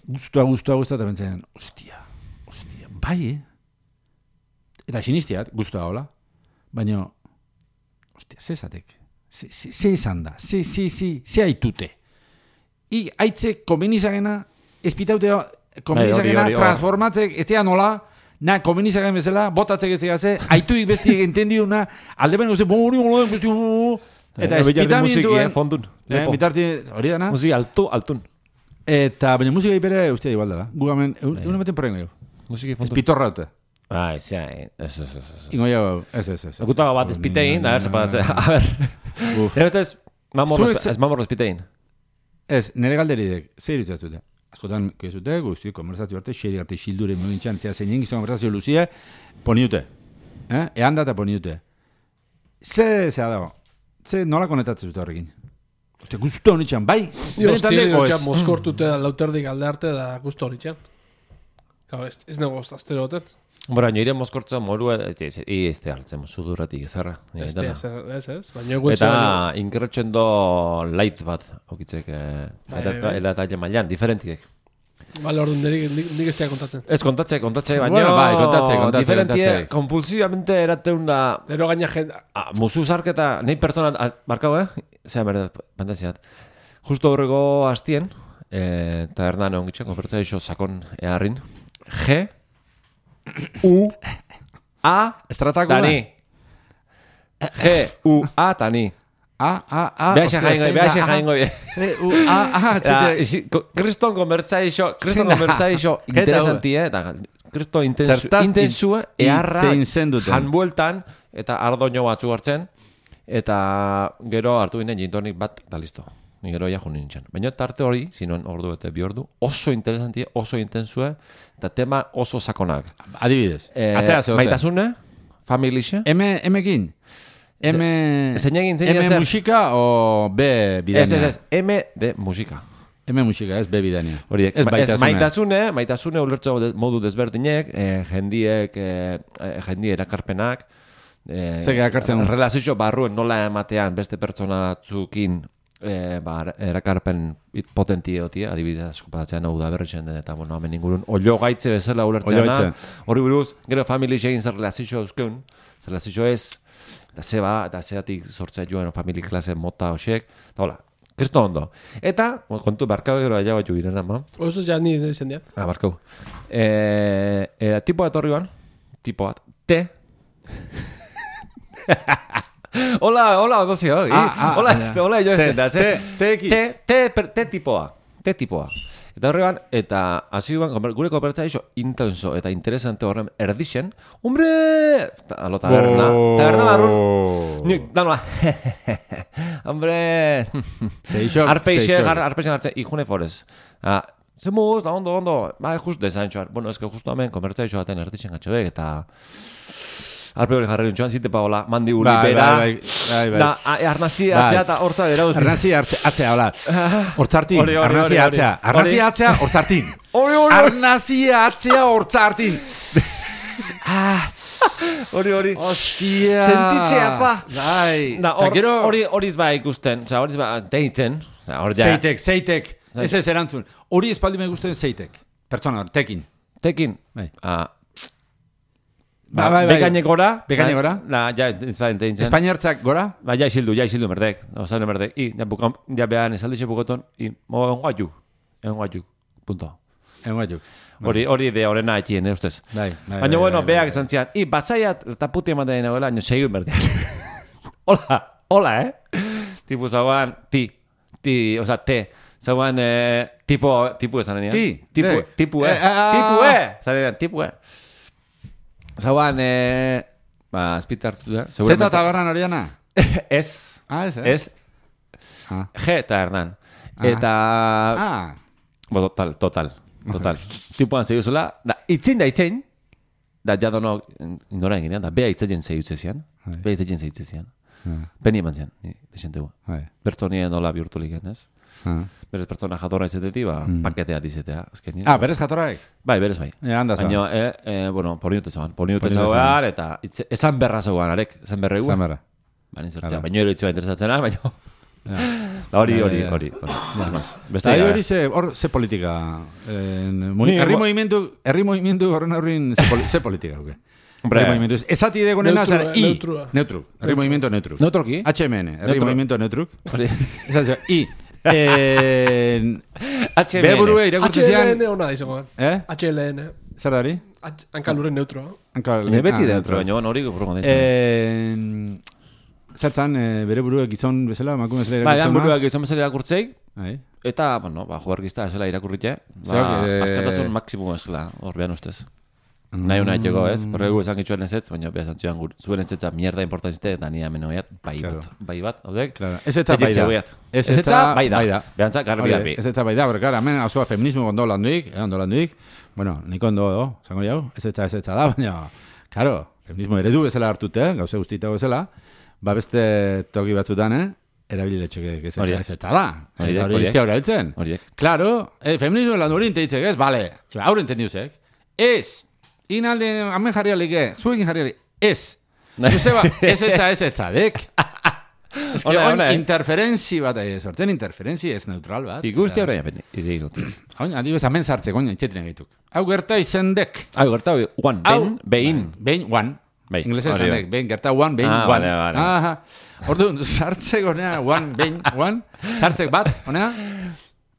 Speaker 2: guztua, guztua, guztua, eta bentzen, ostia, ostia, bai, eh? Eta sinistiat, guztua hola, baina, ostia, zezatek, ze, ze, ze izan da, ze, ze, ze, ze haitute. I, haitze, komenizagena, espitaute, komenizagena,
Speaker 1: hori, hori, hori.
Speaker 2: transformatzek, ez zea nola, na, komenizagen bezala, botatzek ez zea ze, haituik bestiek entendiuna, alde baina uste, bon, hori, hori, besti, Eta
Speaker 1: Eh,
Speaker 2: espita
Speaker 1: musiki,
Speaker 2: minduen...
Speaker 1: eh, fondun.
Speaker 2: Eh,
Speaker 1: Lepo.
Speaker 2: bitarti, hori dana?
Speaker 1: Musiki altu, altun.
Speaker 2: Eta, baina musika ipere, ustea igual dela. Gu gamen, egun ematen porren gehiago.
Speaker 1: Musiki
Speaker 2: Ez
Speaker 1: fondun.
Speaker 2: pitorra dute.
Speaker 1: Ah, ez, ez, ez, ez, ez.
Speaker 2: Ingo jau, ez, ez, ez.
Speaker 1: Gutago bat espitein, da, ertzapadatzea. A ber.
Speaker 2: Uf.
Speaker 1: Nire ez, mamorro,
Speaker 2: Zuek ze-
Speaker 1: ez mamorro espitein.
Speaker 2: Ez, nire galderidek, zer irutzatute? Askotan, kezute, guzti, konversazio arte, xeri arte, xildure, molintxan, zea zein gizto konversazio luzie, poni dute. Eh? Ehan da eta poni dute. Ze, zea dago, ze nola konetatzen dute horrekin? Oste, guztu honitxan, bai?
Speaker 3: Io,
Speaker 2: Benetan
Speaker 3: hostia,
Speaker 2: deko ez.
Speaker 3: notxan mozkortute da lauterdik alde arte da gusto horitxan. Gau, ez, ez nago astero hoten.
Speaker 1: Bora, nire mozkortza moru, ez, ez, ez, ez, hartzen, suduratik ezarra.
Speaker 3: Ez,
Speaker 1: Dana.
Speaker 3: ez, ez, ez. Baina eguetxe
Speaker 1: Eta
Speaker 3: baino.
Speaker 1: inkerretxen do light bat, okitzek, eh,
Speaker 3: Bai,
Speaker 1: eta,
Speaker 3: bai, bai.
Speaker 1: eta, eta mailan, diferentiek.
Speaker 3: Bale, orduan, nik, nik, nik ez tea kontatzen.
Speaker 1: Ez, kontatxe, kontatxe, baina
Speaker 2: Bueno, bai, kontatxe, kontatxe,
Speaker 1: diferentie,
Speaker 2: kontatxe.
Speaker 1: kompulsivamente erateun da,
Speaker 3: Ero gaina jende...
Speaker 1: ah, musu zarketa, nahi pertsona, ah, barkau, eh? Zea, berde, pantaziat. Justo horrego hastien, eh, eta erdan egon gitxen, konfertzea iso sakon eharrin, G, U, A,
Speaker 2: Estratakula?
Speaker 1: tani. G, U, A, tani.
Speaker 2: A, A, A,
Speaker 1: Beha xe
Speaker 2: ostia,
Speaker 1: jaingo,
Speaker 2: zein
Speaker 1: beha
Speaker 2: da,
Speaker 1: xe
Speaker 2: A,
Speaker 1: jaingo.
Speaker 2: E, U, A, A,
Speaker 1: Eta,
Speaker 2: etzite.
Speaker 1: isi- ko- Kriston konbertza iso, kriston
Speaker 2: Zein da?
Speaker 1: konbertza iso,
Speaker 2: Eta
Speaker 1: interesanti, eh? Eta, kriston intensu,
Speaker 2: Zertaz
Speaker 1: intensua,
Speaker 2: hitz-
Speaker 1: eharra,
Speaker 2: hitzein zenduten.
Speaker 1: janbueltan, eta ardoño batzu hartzen, eta gero hartu ginen jintonik bat, da listo. Ni gero ja junin nintzen. Baina tarte hori, zinon ordu eta bi ordu, oso interesanti, oso intensue, eta tema oso sakonak.
Speaker 2: Adibidez,
Speaker 1: Eh,
Speaker 2: atea zeo zer.
Speaker 1: maitasune, familixe,
Speaker 2: M, M-kin? M...
Speaker 1: zein egin, zein
Speaker 2: M
Speaker 1: zer?
Speaker 2: musika o B
Speaker 1: Ez,
Speaker 2: bidania?
Speaker 1: ez, ez, M de musika.
Speaker 2: M musika, ez B bidania.
Speaker 1: Horiek,
Speaker 2: Ez
Speaker 1: ma- ez
Speaker 2: baitasuna.
Speaker 1: maitasune, maitasune ulertzo de- modu desberdinek, eh, jendiek, eh, eh, jendie erakarpenak, eh,
Speaker 2: Zer erakartzen?
Speaker 1: relazio barruen nola ematean beste pertsona batzukin eh, ba, erakarpen potenti egotia, adibidez, eskupatzen hau da berritzen den, eta bueno, hemen ingurun, olio gaitze bezala ulertzeana,
Speaker 2: Oilo
Speaker 1: hori buruz, gero family egin zer relazio euskeun, zer relazio ez, eta zeba, eta zeatik sortzea joan family klase mota hosiek, eta hola, kristo ondo. Eta, kontu, barkau gero aia bat jo giren ama,
Speaker 3: Oso ja ni izan diat.
Speaker 1: ah, barkau, e, e, tipo bat horri ban, tipo bat, T, hola, hola, ondo zio,
Speaker 2: Ah, ah,
Speaker 1: hola,
Speaker 2: ja.
Speaker 1: este, hola, jo
Speaker 2: T,
Speaker 1: ez da,
Speaker 2: T, T X.
Speaker 1: T, T, per- T tipoa, T tipoa. Eta horregan, eta hasi duan, konper- gure kooperatzea iso intenso eta interesante horren erdixen, hombre, ta- alo taberna, taberna barrun, nik, danoa, hombre,
Speaker 2: Seixok,
Speaker 1: arpeixe,
Speaker 2: seixok.
Speaker 1: gar, arpeixe gartzen, ikune forez. Ah, zemuz, da ondo, ondo, ba, just desan txoar. Bueno, ez que justo hemen, komertzea iso baten erdixen gatxoek, eta arpe hori jarri nintxoan, zite paola, mandi uli
Speaker 2: Bai,
Speaker 1: bera,
Speaker 2: bai, bai, bai.
Speaker 1: da, a- arnazi
Speaker 2: Bai.
Speaker 1: atzea eta hortza bera utzi.
Speaker 2: Arnazi hartze- atzea, hola. Hortzartin,
Speaker 1: Hori, hori,
Speaker 2: arnazi
Speaker 1: hori,
Speaker 2: atzea.
Speaker 1: hori.
Speaker 2: Arnazi
Speaker 1: Hori.
Speaker 2: atzea, hortzartin.
Speaker 1: Hori, hori, hori.
Speaker 2: Arnazi atzea, hortzartin. Ah,
Speaker 1: Hori, hori.
Speaker 2: hostia.
Speaker 1: Sentitzea, pa.
Speaker 2: Bai.
Speaker 1: Da,
Speaker 2: Ta
Speaker 1: hor,
Speaker 2: gero,
Speaker 1: hori, hori ba ikusten, oza, hori ba deitzen, oza, hor ja,
Speaker 2: zeitek, zeitek. Ez ez erantzun. Hori espaldi me gusten zeitek. Pertsona, tekin.
Speaker 1: tekin,
Speaker 2: Bai.
Speaker 1: ah,
Speaker 2: Ba, bai, bai.
Speaker 1: bekainek gora,
Speaker 2: Bekainek gora.
Speaker 1: la, ja, ez ba deitzen.
Speaker 2: Espainiartzak gora?
Speaker 1: Ba, ja isildu, ja isildu merdek, oza, merdek, i, ja, bukan, ja behan esaldixe bukoton, i, mo, enguatu, enguatu, punto.
Speaker 2: Enguatuk.
Speaker 1: Hori, hori de horrena etxien, eh, ustez.
Speaker 2: Bai, bai.
Speaker 1: Baina,
Speaker 2: bai,
Speaker 1: bueno,
Speaker 2: bai,
Speaker 1: beak
Speaker 2: bai.
Speaker 1: esan zian, i, basaiat, eta puti ematen nagoela, nio segun berdean. hola, hola, eh? Tipo, zauan, ti, ti, oza, te, zauan, eh, tipo, tipo esan denean.
Speaker 2: Ti,
Speaker 1: Tipo,
Speaker 2: te.
Speaker 1: tipo, eh,
Speaker 2: Eh, ah, ah,
Speaker 1: tipo,
Speaker 2: ah.
Speaker 1: eh, esan denean, tipo, eh. Zauan, eh, ba, azpita hartu da,
Speaker 2: Zeta eta garran horiana?
Speaker 1: Ez,
Speaker 2: Ah, ez, eh?
Speaker 1: ez,
Speaker 2: Ah.
Speaker 1: G eta Hernan.
Speaker 2: Ah.
Speaker 1: Eta,
Speaker 2: Ah.
Speaker 1: bo, total, total, total. Tipuan zeguzula, da, itzin da itzin, da, jadono, indora eginean, da, bea itzaien zehuzezian,
Speaker 2: Bai.
Speaker 1: bea itzaien zehuzezian.
Speaker 2: Ah.
Speaker 1: Peni eman zian, ni, desentegu.
Speaker 2: Bai.
Speaker 1: Pertsonien nola bihurtulik ez?
Speaker 2: Ah.
Speaker 1: Berez pertsona jatorra izatetik, ba, paketea dizetea, azkenien.
Speaker 2: Ah, berez jatorraek?
Speaker 1: Bai, berez bai.
Speaker 2: Eh, handa
Speaker 1: Baina, eh, eh, bueno, poniute zauan, poniute
Speaker 2: Poniute
Speaker 1: zauan, eta itze, esan berra zauan, arek, esan berra egu.
Speaker 2: Zamara.
Speaker 1: Baina zertzea,
Speaker 2: Hala.
Speaker 1: baina ero itzua interesatzena, baina...
Speaker 2: Ja.
Speaker 1: Da hori,
Speaker 2: Ja,
Speaker 1: hori,
Speaker 2: ja, ja.
Speaker 1: hori, hori. Sin más. Beste
Speaker 2: Eta
Speaker 1: gabe.
Speaker 2: hori ze, hor, ze politika? Eh, mo,
Speaker 1: Ni-
Speaker 2: herri
Speaker 1: mo-
Speaker 2: movimendu, herri movimendu horren horrin ze, poli, ze politika, huke?
Speaker 1: Hombre.
Speaker 2: Herri movimendu. Esati de gonena,
Speaker 3: Neutru,
Speaker 2: zer, I.
Speaker 3: neutrua.
Speaker 2: Neutru. Herri movimiento neutru.
Speaker 1: Neutroki?
Speaker 2: H M N, herri
Speaker 1: Neutro.
Speaker 2: movimiento neutruk.
Speaker 1: Hori.
Speaker 2: Esatzen, I. Eh,
Speaker 1: H M N.
Speaker 2: Be burue irakurtzen zian,
Speaker 3: H L N ona izango.
Speaker 2: eh?
Speaker 3: H L N.
Speaker 2: Zer dari?
Speaker 3: Hankalurren neutroa.
Speaker 2: Hanka-
Speaker 1: Baina beti
Speaker 2: ah,
Speaker 1: dentro, baina bueno, hori gopurgo ditzen.
Speaker 2: Eh, Zertzan, e, bere buruek gizon bezala, emakume bezala
Speaker 1: Ba,
Speaker 2: irakurtzen.
Speaker 1: edan buruak izan bezala irakurtzei,
Speaker 2: Bai.
Speaker 1: eta, bueno, ba, jugargizta esela irakurritxe, ba,
Speaker 2: Zeok, eh,
Speaker 1: askatasun maksimum esela, hor behan ustez. Nahi una etxeko, ez? Horregu esan gitxuen ez ez, baina behar zantzuan zuen ez etza mierda importantzite, eta nire hemen oiat, bai
Speaker 2: Claro.
Speaker 1: bat, bai bat, haudek?
Speaker 2: Claro. Ez etza bai da.
Speaker 1: Ez etza bai da,
Speaker 2: bai da.
Speaker 1: behantza garbi
Speaker 2: Hori,
Speaker 1: garbi.
Speaker 2: Ez etza bai da, porque gara, hemen asua feminismo ondo landuik, eh, ondo landuik, bueno, nik ondo, oh, zango jau, ez etza ez etza da, baina, claro, feminismo eredu bezala hartute, gauze guztita bezala, ba beste toki batzutan, eh, erabililetxek ez etza
Speaker 1: Horiek.
Speaker 2: ez etza da.
Speaker 1: Horiek,
Speaker 2: Eta hori
Speaker 1: horiek.
Speaker 2: iztea hori heltzen.
Speaker 1: Horiek.
Speaker 2: Claro, eh, feminismo landu hori inteitzek ez, bale, aurre entendiuzek, ez, inalde, amen jarri alike, zuekin jarri alike, ez. Zuzeba, ez etza ez etza, dek. Ez que
Speaker 1: Hola,
Speaker 2: oin
Speaker 1: hola, eh.
Speaker 2: interferentzi bat, eh, sortzen interferentzi ez neutral bat.
Speaker 1: Ikusti horrein apen, ire iruti.
Speaker 2: Oin, adibes, amen sartzek, oin, itxetin egituk. Hau gerta izendek.
Speaker 1: Hau, gerta, one,
Speaker 2: Hau-
Speaker 1: ben, behin.
Speaker 2: Behin, one.
Speaker 1: Bai,
Speaker 2: Inglesa
Speaker 1: hori
Speaker 2: izendek,
Speaker 1: bai.
Speaker 2: behin, gerta one, behin,
Speaker 1: Ah,
Speaker 2: one.
Speaker 1: vale, vale.
Speaker 2: Aha. Orduan, sartzek honea, one, behin, one. Sartzek bat, honea.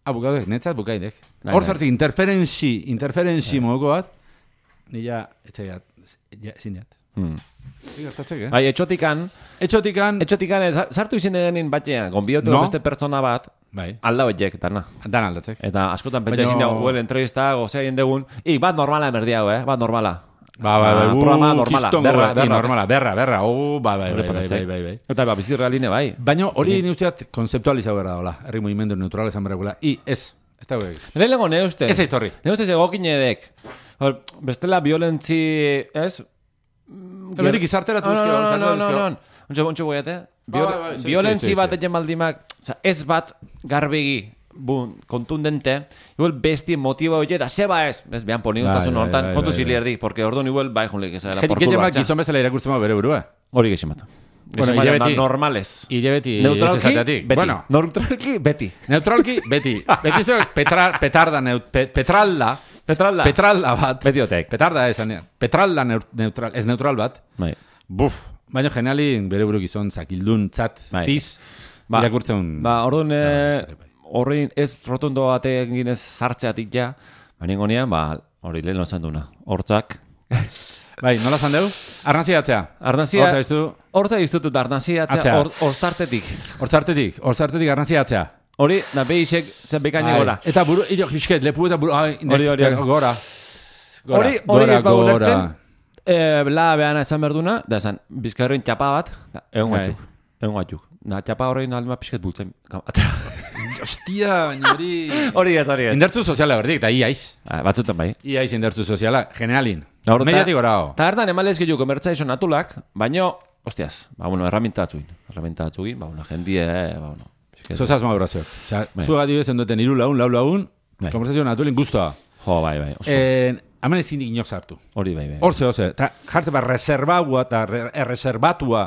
Speaker 2: Hau, bukaudek, netzat bukaidek.
Speaker 1: Bai,
Speaker 2: Hor
Speaker 1: bai.
Speaker 2: sartzek interferentzi, interferentzi mogoko bat. Nila, etxegat, ja, zindiat.
Speaker 1: Hmm.
Speaker 2: Gertatzek, eh?
Speaker 1: Bai, etxotikan,
Speaker 2: Etxotikan,
Speaker 1: etxotikan, eh, sartu izin denin batean, gonbiotu
Speaker 2: No.
Speaker 1: beste pertsona bat,
Speaker 2: bai,
Speaker 1: alda horiek, dana.
Speaker 2: dan aldatzek.
Speaker 1: Eta askotan pentsa
Speaker 2: Baina-
Speaker 1: izin dago, huel entrevista, gozea egin degun, i, bat normala emerdi hau, eh, bat normala.
Speaker 2: Ba, ba, ba,
Speaker 1: Ah,
Speaker 2: uh,
Speaker 1: programa normala,
Speaker 2: kiston
Speaker 1: berra,
Speaker 2: goa,
Speaker 1: berra.
Speaker 2: normala, berra, berra, oh, ba, bai,
Speaker 1: Hori
Speaker 2: bai, bai,
Speaker 1: paratzei.
Speaker 2: bai, bai, bai.
Speaker 1: Eta, ba, bizi realine bai.
Speaker 2: Baina hori ni usteat konzeptualizau gara dola, herri mugimendu neutral esan beregula, i, ez, ez da guek.
Speaker 1: Lehenengo ne uste.
Speaker 2: Ez aitorri.
Speaker 1: Ne uste egokin edek. Hor, bestela violentzi, ez?
Speaker 2: Eberik izarteratu
Speaker 1: No,
Speaker 2: dizkio,
Speaker 1: no, no,
Speaker 2: izarteratu
Speaker 1: no, no,
Speaker 2: dizkio.
Speaker 1: no. Ontxe, ontxe goiate.
Speaker 2: Bai, bai, bai, sí,
Speaker 1: Violentzi
Speaker 2: sí, sí,
Speaker 1: bat
Speaker 2: sí.
Speaker 1: egin baldimak, oza, ez bat garbegi, bun, kontundente, igual besti motiba hori, da zeba ez, ez behan poni
Speaker 2: Bai,
Speaker 1: untasun
Speaker 2: bai,
Speaker 1: hortan,
Speaker 2: bai,
Speaker 1: kontu
Speaker 2: bai,
Speaker 1: zili
Speaker 2: bai.
Speaker 1: erdi, porque orduan igual bai jonlik ezagela
Speaker 2: Jetik
Speaker 1: porkur
Speaker 2: gehiamak
Speaker 1: batza.
Speaker 2: gizon bezala irakurtzen bau bere burua.
Speaker 1: Hori geximata.
Speaker 2: Bueno,
Speaker 1: Bueno,
Speaker 2: hilabeti-
Speaker 1: normales.
Speaker 2: Ile beti ez
Speaker 1: Neutralki,
Speaker 2: esateatik.
Speaker 1: beti.
Speaker 2: Bueno,
Speaker 1: Neutralki, beti.
Speaker 2: neutralki, beti. Beti zoek petra, petarda, neut, pe, petralda,
Speaker 1: Petralda.
Speaker 2: petralda bat.
Speaker 1: Beti otek.
Speaker 2: Petarda esan, dira. petralda neu- neutral, ez neutral bat.
Speaker 1: Bai.
Speaker 2: Buf, baina generali bere buru gizon zakildun, tzat,
Speaker 1: Bai.
Speaker 2: ziz,
Speaker 1: Ba,
Speaker 2: irakurtzen.
Speaker 1: Ba, orduan, eh,
Speaker 2: Zara,
Speaker 1: horrein ez rotondo batean ginez sartzeatik ja, baina ingonean, ba, hori lehen lozan duna. Hortzak.
Speaker 2: Bai, nola zan deu? Arnazia atzea.
Speaker 1: Arnazia,
Speaker 2: Hortza iztu,
Speaker 1: hortza iztutut arnazia atzea,
Speaker 2: Atzea.
Speaker 1: hor, horzartetik.
Speaker 2: hortzartetik, hortzartetik arnazia atzea.
Speaker 1: Hori, da behisek zen bekaine gora.
Speaker 2: Eta buru, iro, krisket, lepu eta buru, ai, indek,
Speaker 1: Hori, hori, hori.
Speaker 2: gora. Gora,
Speaker 1: Hori, hori
Speaker 2: gora,
Speaker 1: ez bau
Speaker 2: gora.
Speaker 1: ulertzen, eh, la behana esan berduna, da esan, bizkarroin txapa bat, da, egon
Speaker 2: Bai.
Speaker 1: gatuk, egon gatuk. Da, txapa horrein alma pixket bultzen. Atzera.
Speaker 2: Ostia, baina hori...
Speaker 1: Hori ez, hori ez.
Speaker 2: Indertzu soziala berdik, eta iaiz.
Speaker 1: Ah, batzutan bai.
Speaker 2: Iaiz indertzu soziala, generalin.
Speaker 1: Da, hor, ta-
Speaker 2: Mediatik gorao.
Speaker 1: Ta hartan emalez gehiago komertzaizo natulak, baino, hostias, ba, bueno, herramienta batzuin. Herramienta batzuin, ba, bueno, jendie, eh, ba, bueno. pixket-
Speaker 2: Zozaz madurazio. Osea,
Speaker 1: Bai.
Speaker 2: zu adibes duten iru laun, lau laun,
Speaker 1: Bai.
Speaker 2: konversazio natulin guztua.
Speaker 1: Jo, bai, bai, oso.
Speaker 2: Eh, Hemen ezin inok sartu.
Speaker 1: Hori bai, bai.
Speaker 2: Hortze, hortze. Ta jartze bat reserbatua eta re- erreserbatua.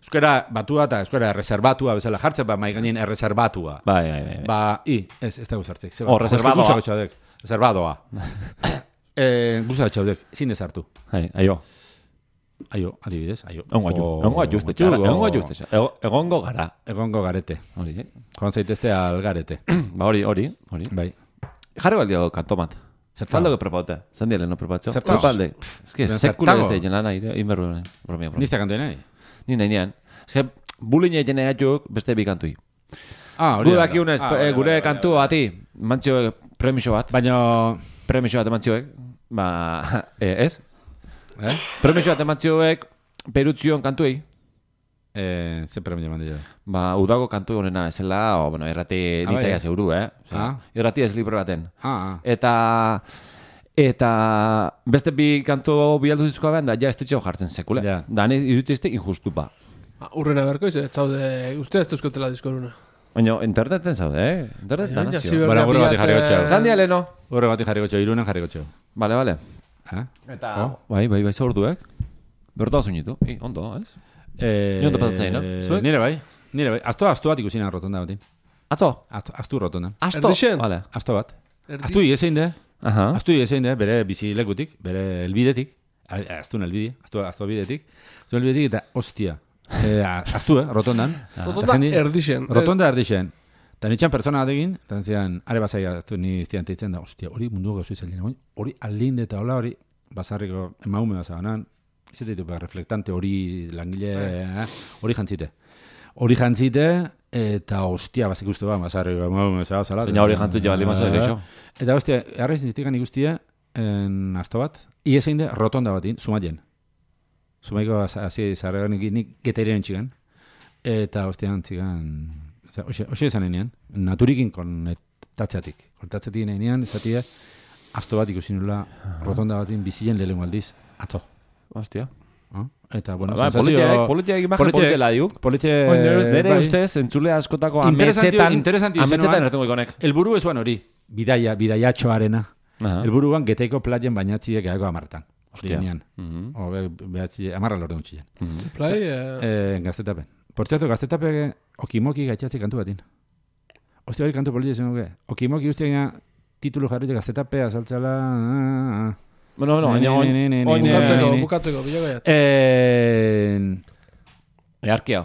Speaker 2: Euskara batua eta euskara erreserbatua bezala. Jartze bat maiganin erreserbatua.
Speaker 1: Bai, bai, bai. bai.
Speaker 2: Ba, i, ez, ez dago sartzik. Zeba,
Speaker 1: Oh, reservadoa.
Speaker 2: Guztako txaudek. Reservadoa. eh, Guztako txaudek. Zin dezartu.
Speaker 1: Hai, aio.
Speaker 2: Aio, adibidez, aio.
Speaker 1: Egongo aju,
Speaker 2: Jo,
Speaker 1: egongo aju, uste
Speaker 2: jo,
Speaker 1: txara, egongo aju, uste txara. Egongo gara.
Speaker 2: Egongo garete.
Speaker 1: Hori, eh?
Speaker 2: Joan zaitezte algarete.
Speaker 1: Ba, hori, hori, hori.
Speaker 2: Bai.
Speaker 1: Jarri baldio kantomat.
Speaker 2: Zertago?
Speaker 1: Zaldo que prepaute. Zandile no prepatzo.
Speaker 2: Zertago?
Speaker 1: Zertalde. Ez que
Speaker 2: Zertago?
Speaker 1: sekula ez da lana, inberru, bromia, bromia.
Speaker 2: Nizta kantu nahi?
Speaker 1: Ni nahi nian. Ez que bulin egin atuk beste bi kantui.
Speaker 2: Ah, hori
Speaker 1: Gu
Speaker 2: da.
Speaker 1: dakiunez,
Speaker 2: Ah,
Speaker 1: eh,
Speaker 2: bai,
Speaker 1: gure
Speaker 2: bai, bai,
Speaker 1: kantu
Speaker 2: bai.
Speaker 1: bati, mantzioek premiso bat,
Speaker 2: Baina,
Speaker 1: premiso bat emantioek, ba, eh, ez?
Speaker 2: eh?
Speaker 1: Premiso bat emantioek, perutzion kantuei,
Speaker 2: Eh, ze premio eman dira.
Speaker 1: ba, udago kantu honena esela, o, bueno, irrati
Speaker 2: Ah,
Speaker 1: nitzaia
Speaker 2: bai.
Speaker 1: zeuru, eh? Osea,
Speaker 2: Ah.
Speaker 1: Irrati ez libre baten.
Speaker 2: Ah, ah.
Speaker 1: Eta eta beste bi kantu bialdu dizkoa behan da, ja ez ditxeo jartzen sekule.
Speaker 2: Ja.
Speaker 1: Da, ni irutizte injustu ba.
Speaker 3: Ba, Urrena berko, ez zaude, uste ez duzkotela diskoruna.
Speaker 1: Baina interneten zaude, eh? Internet da
Speaker 3: Baina,
Speaker 1: nazio.
Speaker 3: ziberna
Speaker 2: Bueno, gure bati
Speaker 3: bilatze-
Speaker 2: jarri gotxeo.
Speaker 1: Zan dialeno?
Speaker 2: Horre bati jarri gotxo, irunen jarri gotxo.
Speaker 1: Vale, vale.
Speaker 2: Eh?
Speaker 1: Eta,
Speaker 2: Oh.
Speaker 1: bai, bai, bai, zaurduek. Berta zunitu. I, ondo, ez?
Speaker 2: Eh,
Speaker 1: Ni ondo pasatzen, no? Zuek?
Speaker 2: Nire bai, nire bai. Asto, asto bat ikusina rotonda batin.
Speaker 1: Atzo?
Speaker 2: Asto, astu rotonda.
Speaker 1: Asto?
Speaker 3: Erdixen?
Speaker 1: Vale.
Speaker 2: Asto bat.
Speaker 3: Erdi-
Speaker 2: Astu iesein de,
Speaker 1: Aha.
Speaker 2: astu iesein de, bere bizilekutik, bere elbidetik, astun elbide, astu, astu elbidetik, astu elbidetik eta hostia. Eh, astu, eh, rotondan.
Speaker 3: Rotonda
Speaker 2: Eta jendi-
Speaker 3: erdixen.
Speaker 2: Rotonda erdixen. Eta nitxan pertsona batekin, eta zian, are bazai astu ni iztian teitzen da, hostia, hori mundu gauzu izan dira, hori aldinde eta hola hori, basarriko emaume bazabanan, ez ditu, reflektante hori langile, eh, hori jantzite. Hori jantzite, eta hostia, bazik uste ba, mazarri, zara, zara.
Speaker 1: Baina hori jantzite bali mazarri geixo.
Speaker 2: Eta hostia, arraiz zitikan ikustia, en asto bat, iesein de rotonda batin, sumaien. Sumaiko hasi zarregan nik getairen txigan. Eta hostia, txigan, hoxe esan enean, naturikin konektatzeatik. Konektatzeatik enean, esatia, asto bat ikusi nula rotonda batin bizien lehenko aldiz, atzo.
Speaker 1: Hostia.
Speaker 2: Eta, bueno,
Speaker 1: ba, sensazio... Politiak imagen politiela diuk.
Speaker 2: Politia...
Speaker 1: Nere ustez, entzule askotako ametzetan... Ametzetan erretungo ikonek.
Speaker 2: Elburu esuan hori, bidaia, bidaiatxoarena. Elburuan geteiko plaien bainatziek eako amartan. Hostia. O, behatzi, amarra lorde untxien.
Speaker 3: Plai?
Speaker 2: Gaztetapen. Portziatu, gaztetape okimoki gaitxatzi kantu batin. Hostia hori kantu politia zen goke. Okimoki ustean titulu jarrite gaztetape, azaltzala...
Speaker 1: Bueno, bueno, baina oin...
Speaker 3: Bukatzeko, bukatzeko, bilogaiat.
Speaker 1: Earkia.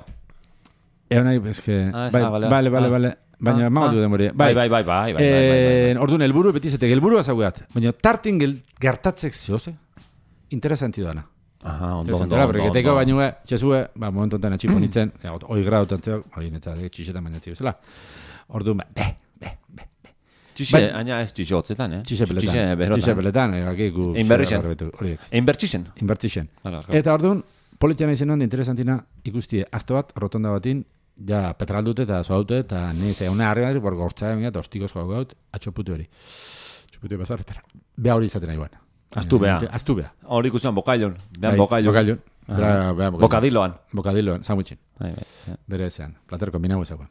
Speaker 2: Egon nahi, eske... Bale, bale, bale. Baina, mago du demori.
Speaker 1: Bai, bai, bai, bai, bai.
Speaker 2: Orduan, elburu, betizetek, elburu azaguat. Baina, tartin gertatzek zehose, interesanti doana.
Speaker 1: Aha, ondo, ondo,
Speaker 2: ondo. Porque teko bainue, txezue, ba, momentu ontan atxiponitzen, oi grau tantzeok, hori netza, txixetan bainatzi bezala. Orduan, be, be, be.
Speaker 1: Txixe, aina ez txixe hotzetan, eh?
Speaker 2: Txixe peletan. Txixe peletan, egakiku...
Speaker 1: Inbertixen. Inbertixen.
Speaker 2: Inbertixen. Eta orduan, politiana izen hondi interesantina ikustie, asto bat, rotonda batin, ja, petraldute eta zoaute, eta nire una harri bor gortza emia, eta ostikoz jau gaut, atxopute hori. Atxopute bazarretara. Bea hori izaten nahi guan.
Speaker 1: Aztu bea.
Speaker 2: Aztu bea.
Speaker 1: Hori ikusten bokailon. Bean bokailon.
Speaker 2: Bokailon.
Speaker 1: Bokadiloan.
Speaker 2: Bokadiloan, zamutxin. Bere ezean. Plater kombinau ezaguan.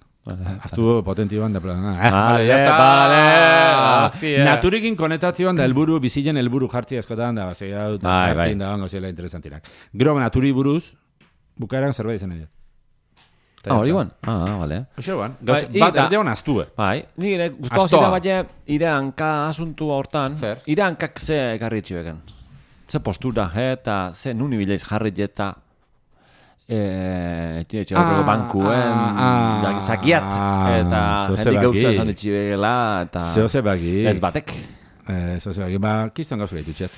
Speaker 2: Aztu potenti ban da plan.
Speaker 1: Vale, vale.
Speaker 2: Naturikin konektazioan da helburu bizilen helburu jartzi askotan da, base hau tartin da bango zela interesantinak. Gero naturi buruz bukaeran zerbait izan dira.
Speaker 1: Ah, hori guan. Ah, vale.
Speaker 2: Oxe guan. Bat erdean aztue.
Speaker 1: Bai, nire gustau zira baina ire hanka asuntua hortan.
Speaker 2: Zer?
Speaker 1: Ire hankak ze ekarri etxibeken. Ze postura, eta ze nuni bilaiz jarri eta Eh, etxe etxe horrego bankuen zakiat eta jendik gauza esan ditxibegela eta
Speaker 2: zehose baki
Speaker 1: ez batek
Speaker 2: zehose baki, ba, kiston gauza gaitu txet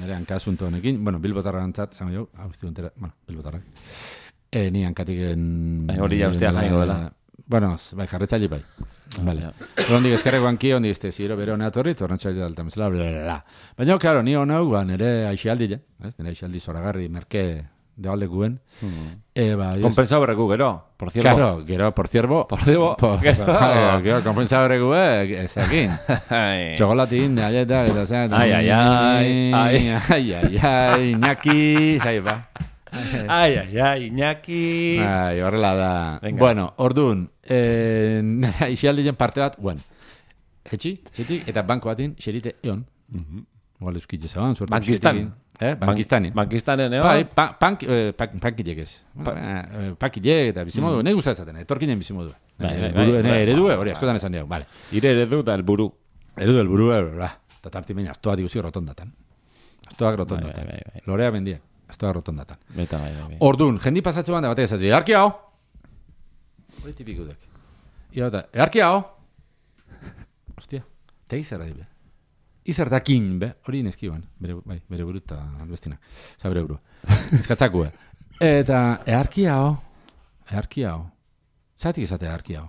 Speaker 2: nire hankasunto honekin, bueno, bilbotarra antzat zango jau, hau izti guntera, bueno, bilbotarrak eh, ni hankatiken
Speaker 1: hori ja ustea jaingo dela
Speaker 2: bueno, bai, jarretzaile bai vale, hondik eskerreko hanki, hondik este ziro bere honea torri, tornatxaile dalta mesela, blablabla baina, claro, ni honau, ba, nire aixialdi ja, nire aixialdi zoragarri merke de alde guen.
Speaker 1: Mm. Compensado berreku, gero, por ciervo.
Speaker 2: Claro, gero, por ciervo.
Speaker 1: Por ciervo.
Speaker 2: Gero, compensado berreku, ezakin. Txokolatin, aieta, eta zean.
Speaker 1: Ai, ai, ai.
Speaker 2: Ai, ai, ai, ai, Iñaki. Ai, ba.
Speaker 1: Ai, ai, ai, Iñaki.
Speaker 2: Ai, horrela da. Bueno, orduan, ixialdien parte bat, bueno, etxi, etxetik, eta banko batin, xerite eon. Igual euskitze zaban, suertu.
Speaker 1: Bankistan.
Speaker 2: Eh, Bankistanen.
Speaker 1: Bankistanen, eo?
Speaker 2: Bai, punk, pakilek ez. Pakilek eta bizimodu, nahi gustatzen, etorkinen bizimodu. Eredu, hori askotan esan diago, vale.
Speaker 1: Ire eredu eta elburu.
Speaker 2: Eredu, elburu, eta tartimein, astoa diguzi rotondatan. Astoak rotondatan. Lorea bendia, astoak rotondatan.
Speaker 1: Beta, bai, bai.
Speaker 2: Ordun, jendi pasatze ban da batek esatzi, earki hau! Hori tipikudek. Ia bata, earki hau! Ostia, tegi zerra dibe. Izertakin, be, hori neskiban, bere, bai, bere buru eta bestina, za bere buru. Ezkatzakue. Eta, earki hau, earki hau, zatik ezate earki hau.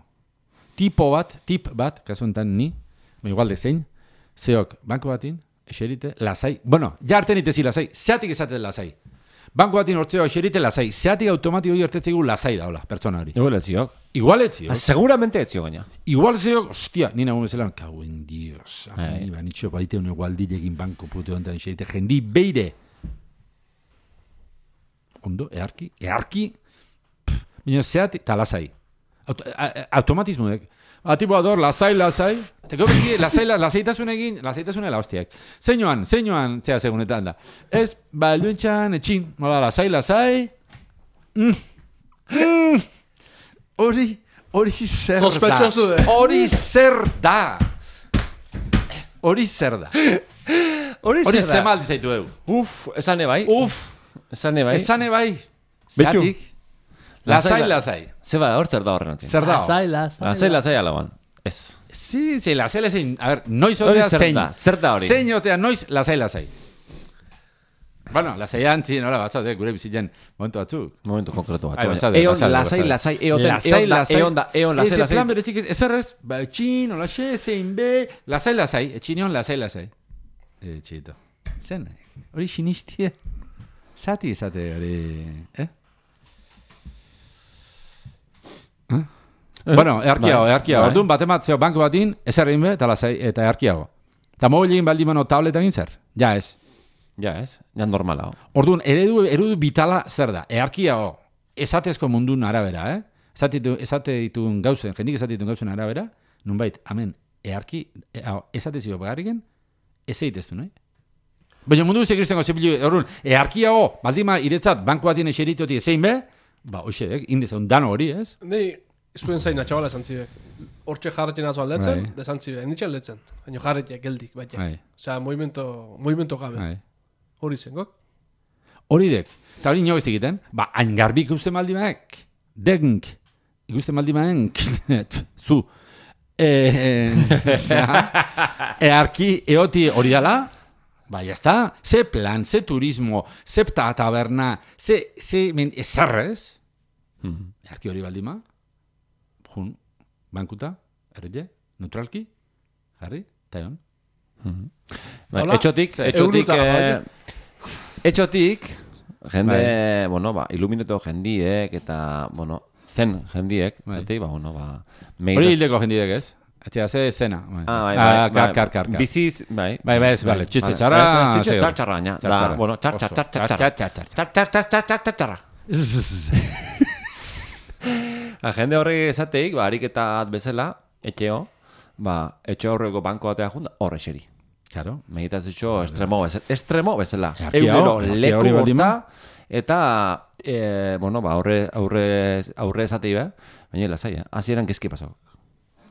Speaker 2: Tipo bat, tip bat, kasu enten ni, igual de zein, zeok, banko batin, eserite, lasai, bueno, ja arten itezi lasai, zatik ezate lasai. Banko batin hortzeo eserite lasai, zeatik automatiko gertetzegu lasai daula, pertsona hori.
Speaker 1: Igual etziok.
Speaker 2: Igual etziok.
Speaker 1: Seguramente etzio gaina.
Speaker 2: Igual etziok, hostia, nina guen zelan, kauen dios, ani ba, nitxo baite une gualdilekin banko putu ontan eserite, jendi beire. Ondo, earki, earki, baina zeatik, eta lasai. Automatismo dek. Atipo ador, lasai, lasai. Teko beki, lasai, lasaitasun egin, lasaitasune la hostiak. Zeinoan, zeinoan, zea segunetan da. Ez, ba, luentxan, etxin, mola, lasai, lasai. Mm. Mm. Hori, hori zer da.
Speaker 3: Sospechoso de.
Speaker 2: Hori zer da. Hori zer da.
Speaker 1: Hori
Speaker 2: zer da. Hori zemaldi zaitu eu.
Speaker 1: Uf, esane bai.
Speaker 2: Uf.
Speaker 1: Esane bai.
Speaker 2: Esane bai. Zatik. Lasai, lasai.
Speaker 1: Zeba, hor zer da horren.
Speaker 2: Zer da.
Speaker 3: Lasai, lasai.
Speaker 1: Lasai, lasai alaban. Ez.
Speaker 2: Sí, sí, lasai, lasai. A ver, noiz otea zein.
Speaker 1: Zer da hori.
Speaker 2: Zein otea noiz, lasai, lasai. Bueno, lasai antzi, nola batzat, gure bizitzen momentu batzuk.
Speaker 1: Momentu konkretu bat.
Speaker 2: Ai, bazaude,
Speaker 1: Eon,
Speaker 2: bazaude,
Speaker 1: lasai,
Speaker 2: bazaude.
Speaker 1: lasai, eoten,
Speaker 2: Lasai,
Speaker 1: eon da,
Speaker 2: lasai.
Speaker 1: eon da, eon, lasai,
Speaker 2: Ese
Speaker 1: lasai.
Speaker 2: plan berezik ez, ezerrez, ba, etxin, hola xe, zein be, lasai, lasai, etxinion, lasai, lasai. Etxito. Zen, hori sinistie. Zati izate hori, eh? Eh? Bueno, earkiago,
Speaker 1: bai,
Speaker 2: earkiago.
Speaker 1: bai.
Speaker 2: Orduan, bat ematzeo banko batin, ezer egin be, eta lasai, eta earkiago. Eta mobilein baldin mano tableta egin zer? Ja, ez.
Speaker 1: Ja, ez? Ja, normala. Oh.
Speaker 2: Orduan, eredu, eredu bitala zer da? Earkiago, esatezko mundun arabera, eh? Esate ditu- esate ditun gauzen, jendik esate ditun gauzen arabera, nunbait, amen, earki, e, esatezio bagarriken, ez egiteztu, nahi? Baina mundu guztiak kristengo zepilu, orduan, earkiago, baldima iretzat, banku batien eseritoti ezein be, ba, hoxe, indezun dano hori, ez?
Speaker 3: Nei, zuen zaina txabala esan zibek. Hortxe jarretzen azu aldetzen,
Speaker 2: Bai.
Speaker 3: desan zibek. Nitxen letzen. Baina jarretzen geldik, baina.
Speaker 2: Bai.
Speaker 3: Osea, movimento, movimento gabe.
Speaker 2: Bai.
Speaker 3: Hori zen, gok?
Speaker 2: Hori dek. Eta hori nio ez egiten, ba, hain garbi ikusten maldi maek, denk, ikusten maldi maek, zu, e, earki eoti hori dala, ba, jazta, ze plan, ze turismo, ze ta taberna, ze, ze, men, ezarrez,
Speaker 1: Mhm.
Speaker 2: earki hori baldima, jun, bankuta, errete, neutralki, jarri, taion.
Speaker 1: Bai,
Speaker 3: Hola,
Speaker 1: etxotik,
Speaker 3: ze-
Speaker 1: etxotik,
Speaker 3: eurutara,
Speaker 1: eh, etxotik, jende,
Speaker 2: Bai.
Speaker 1: bueno, ba, ilumineto jendiek, eta, bueno, zen jendiek,
Speaker 2: Bai.
Speaker 1: zetik, ba, bueno, ba,
Speaker 2: Hori
Speaker 1: meita-
Speaker 2: hildeko jendidek ez? Etxea, ze zena. Bai.
Speaker 1: Ah, bai,
Speaker 2: Ah,
Speaker 1: bai,
Speaker 2: kar,
Speaker 1: bai,
Speaker 2: kar, kar, kar.
Speaker 1: Biziz, bai.
Speaker 2: Bai, bai, ez, bale, txitze
Speaker 1: Vale.
Speaker 2: txarra,
Speaker 1: Ez, ez, txitze
Speaker 2: zeo.
Speaker 1: txartxarra, baina, da,
Speaker 2: Txartxarra.
Speaker 1: bueno, txar, txar,
Speaker 2: Oso.
Speaker 1: txar, txar,
Speaker 2: Txar,
Speaker 1: txar,
Speaker 2: txar, txar,
Speaker 1: txar, txar, txar, txar, txar, txarra. La jende horrek esateik, ba, ariketa bat bezala, etxeo, ba, etxe horreko banko batea junda, horre xeri.
Speaker 2: Claro.
Speaker 1: Meditazio estremo bezala. Estremo bezala.
Speaker 2: Earkia
Speaker 1: Egunero
Speaker 2: hor, earkia
Speaker 1: leku
Speaker 2: hori baldin
Speaker 1: borta, eta, e, bueno, ba, aurre, aurre, aurre esatei be, baina lasai, eh? Hasieran gezki pasau.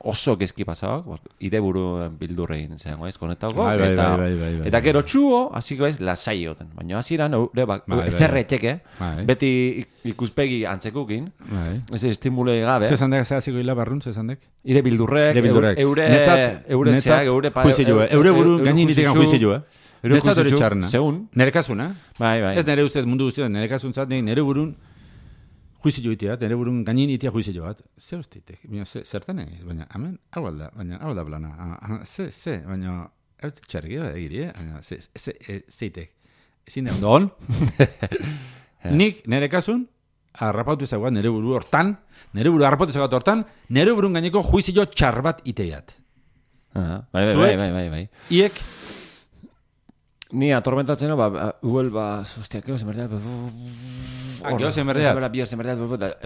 Speaker 1: Oso gezki pasau, ire buru bildurrein zeango ez, konektauko,
Speaker 2: Bai, bai,
Speaker 1: eta,
Speaker 2: bai, bai, bai, bai.
Speaker 1: eta gero txuo, hasiko ez, lasai joten. Baina hasieran, eure, ba,
Speaker 2: Bai, bai,
Speaker 1: ezerretxeke,
Speaker 2: Bai.
Speaker 1: beti ik- ikuspegi antzekukin,
Speaker 2: Bai.
Speaker 1: ez estimule gabe,
Speaker 2: Ze zandek, ze hasiko hila barrun, ze zandek?
Speaker 1: ire bildurrek,
Speaker 2: Ire bildurrek.
Speaker 1: eure,
Speaker 2: Netzat-
Speaker 1: eure
Speaker 2: netzat
Speaker 1: zeak, eure pa-
Speaker 2: juizio, eh? Eure buru gainin itekan juizio, eh?
Speaker 1: Eure
Speaker 2: Netzat hori
Speaker 1: juizio,
Speaker 2: txarna.
Speaker 1: zeun.
Speaker 2: Nere kasun, eh?
Speaker 1: Bai, bai.
Speaker 2: Ez nere ustez mundu guztietan, nere kasun zat, nere burun juizio itea, nere burun gainin itea juizio bat. Ze ustitek, baina ze- zertan egin, baina, hemen, hau alda, baina, hau da plana. Ah, ah, Ze, ze, baina, hau txargi bat egiri, eh? Baina, ze, ze, e, zeitek. Ezin da, ondon? Nik, nere kasun, harrapatu ezaguat, nere buru hortan, nere buru harrapatu ezaguat hortan, nere burun gaineko juizio txar bat iteiat.
Speaker 1: Aha, bai, bai,
Speaker 2: Zuek?
Speaker 1: bai, bai, bai, bai.
Speaker 2: Iek,
Speaker 1: Ni atormentatzen, no, ba, ba, Google, ba, hostia, kero zenberdeat, ba,
Speaker 2: Ah, gero zenberdeat?
Speaker 1: Bihar zenberdeat,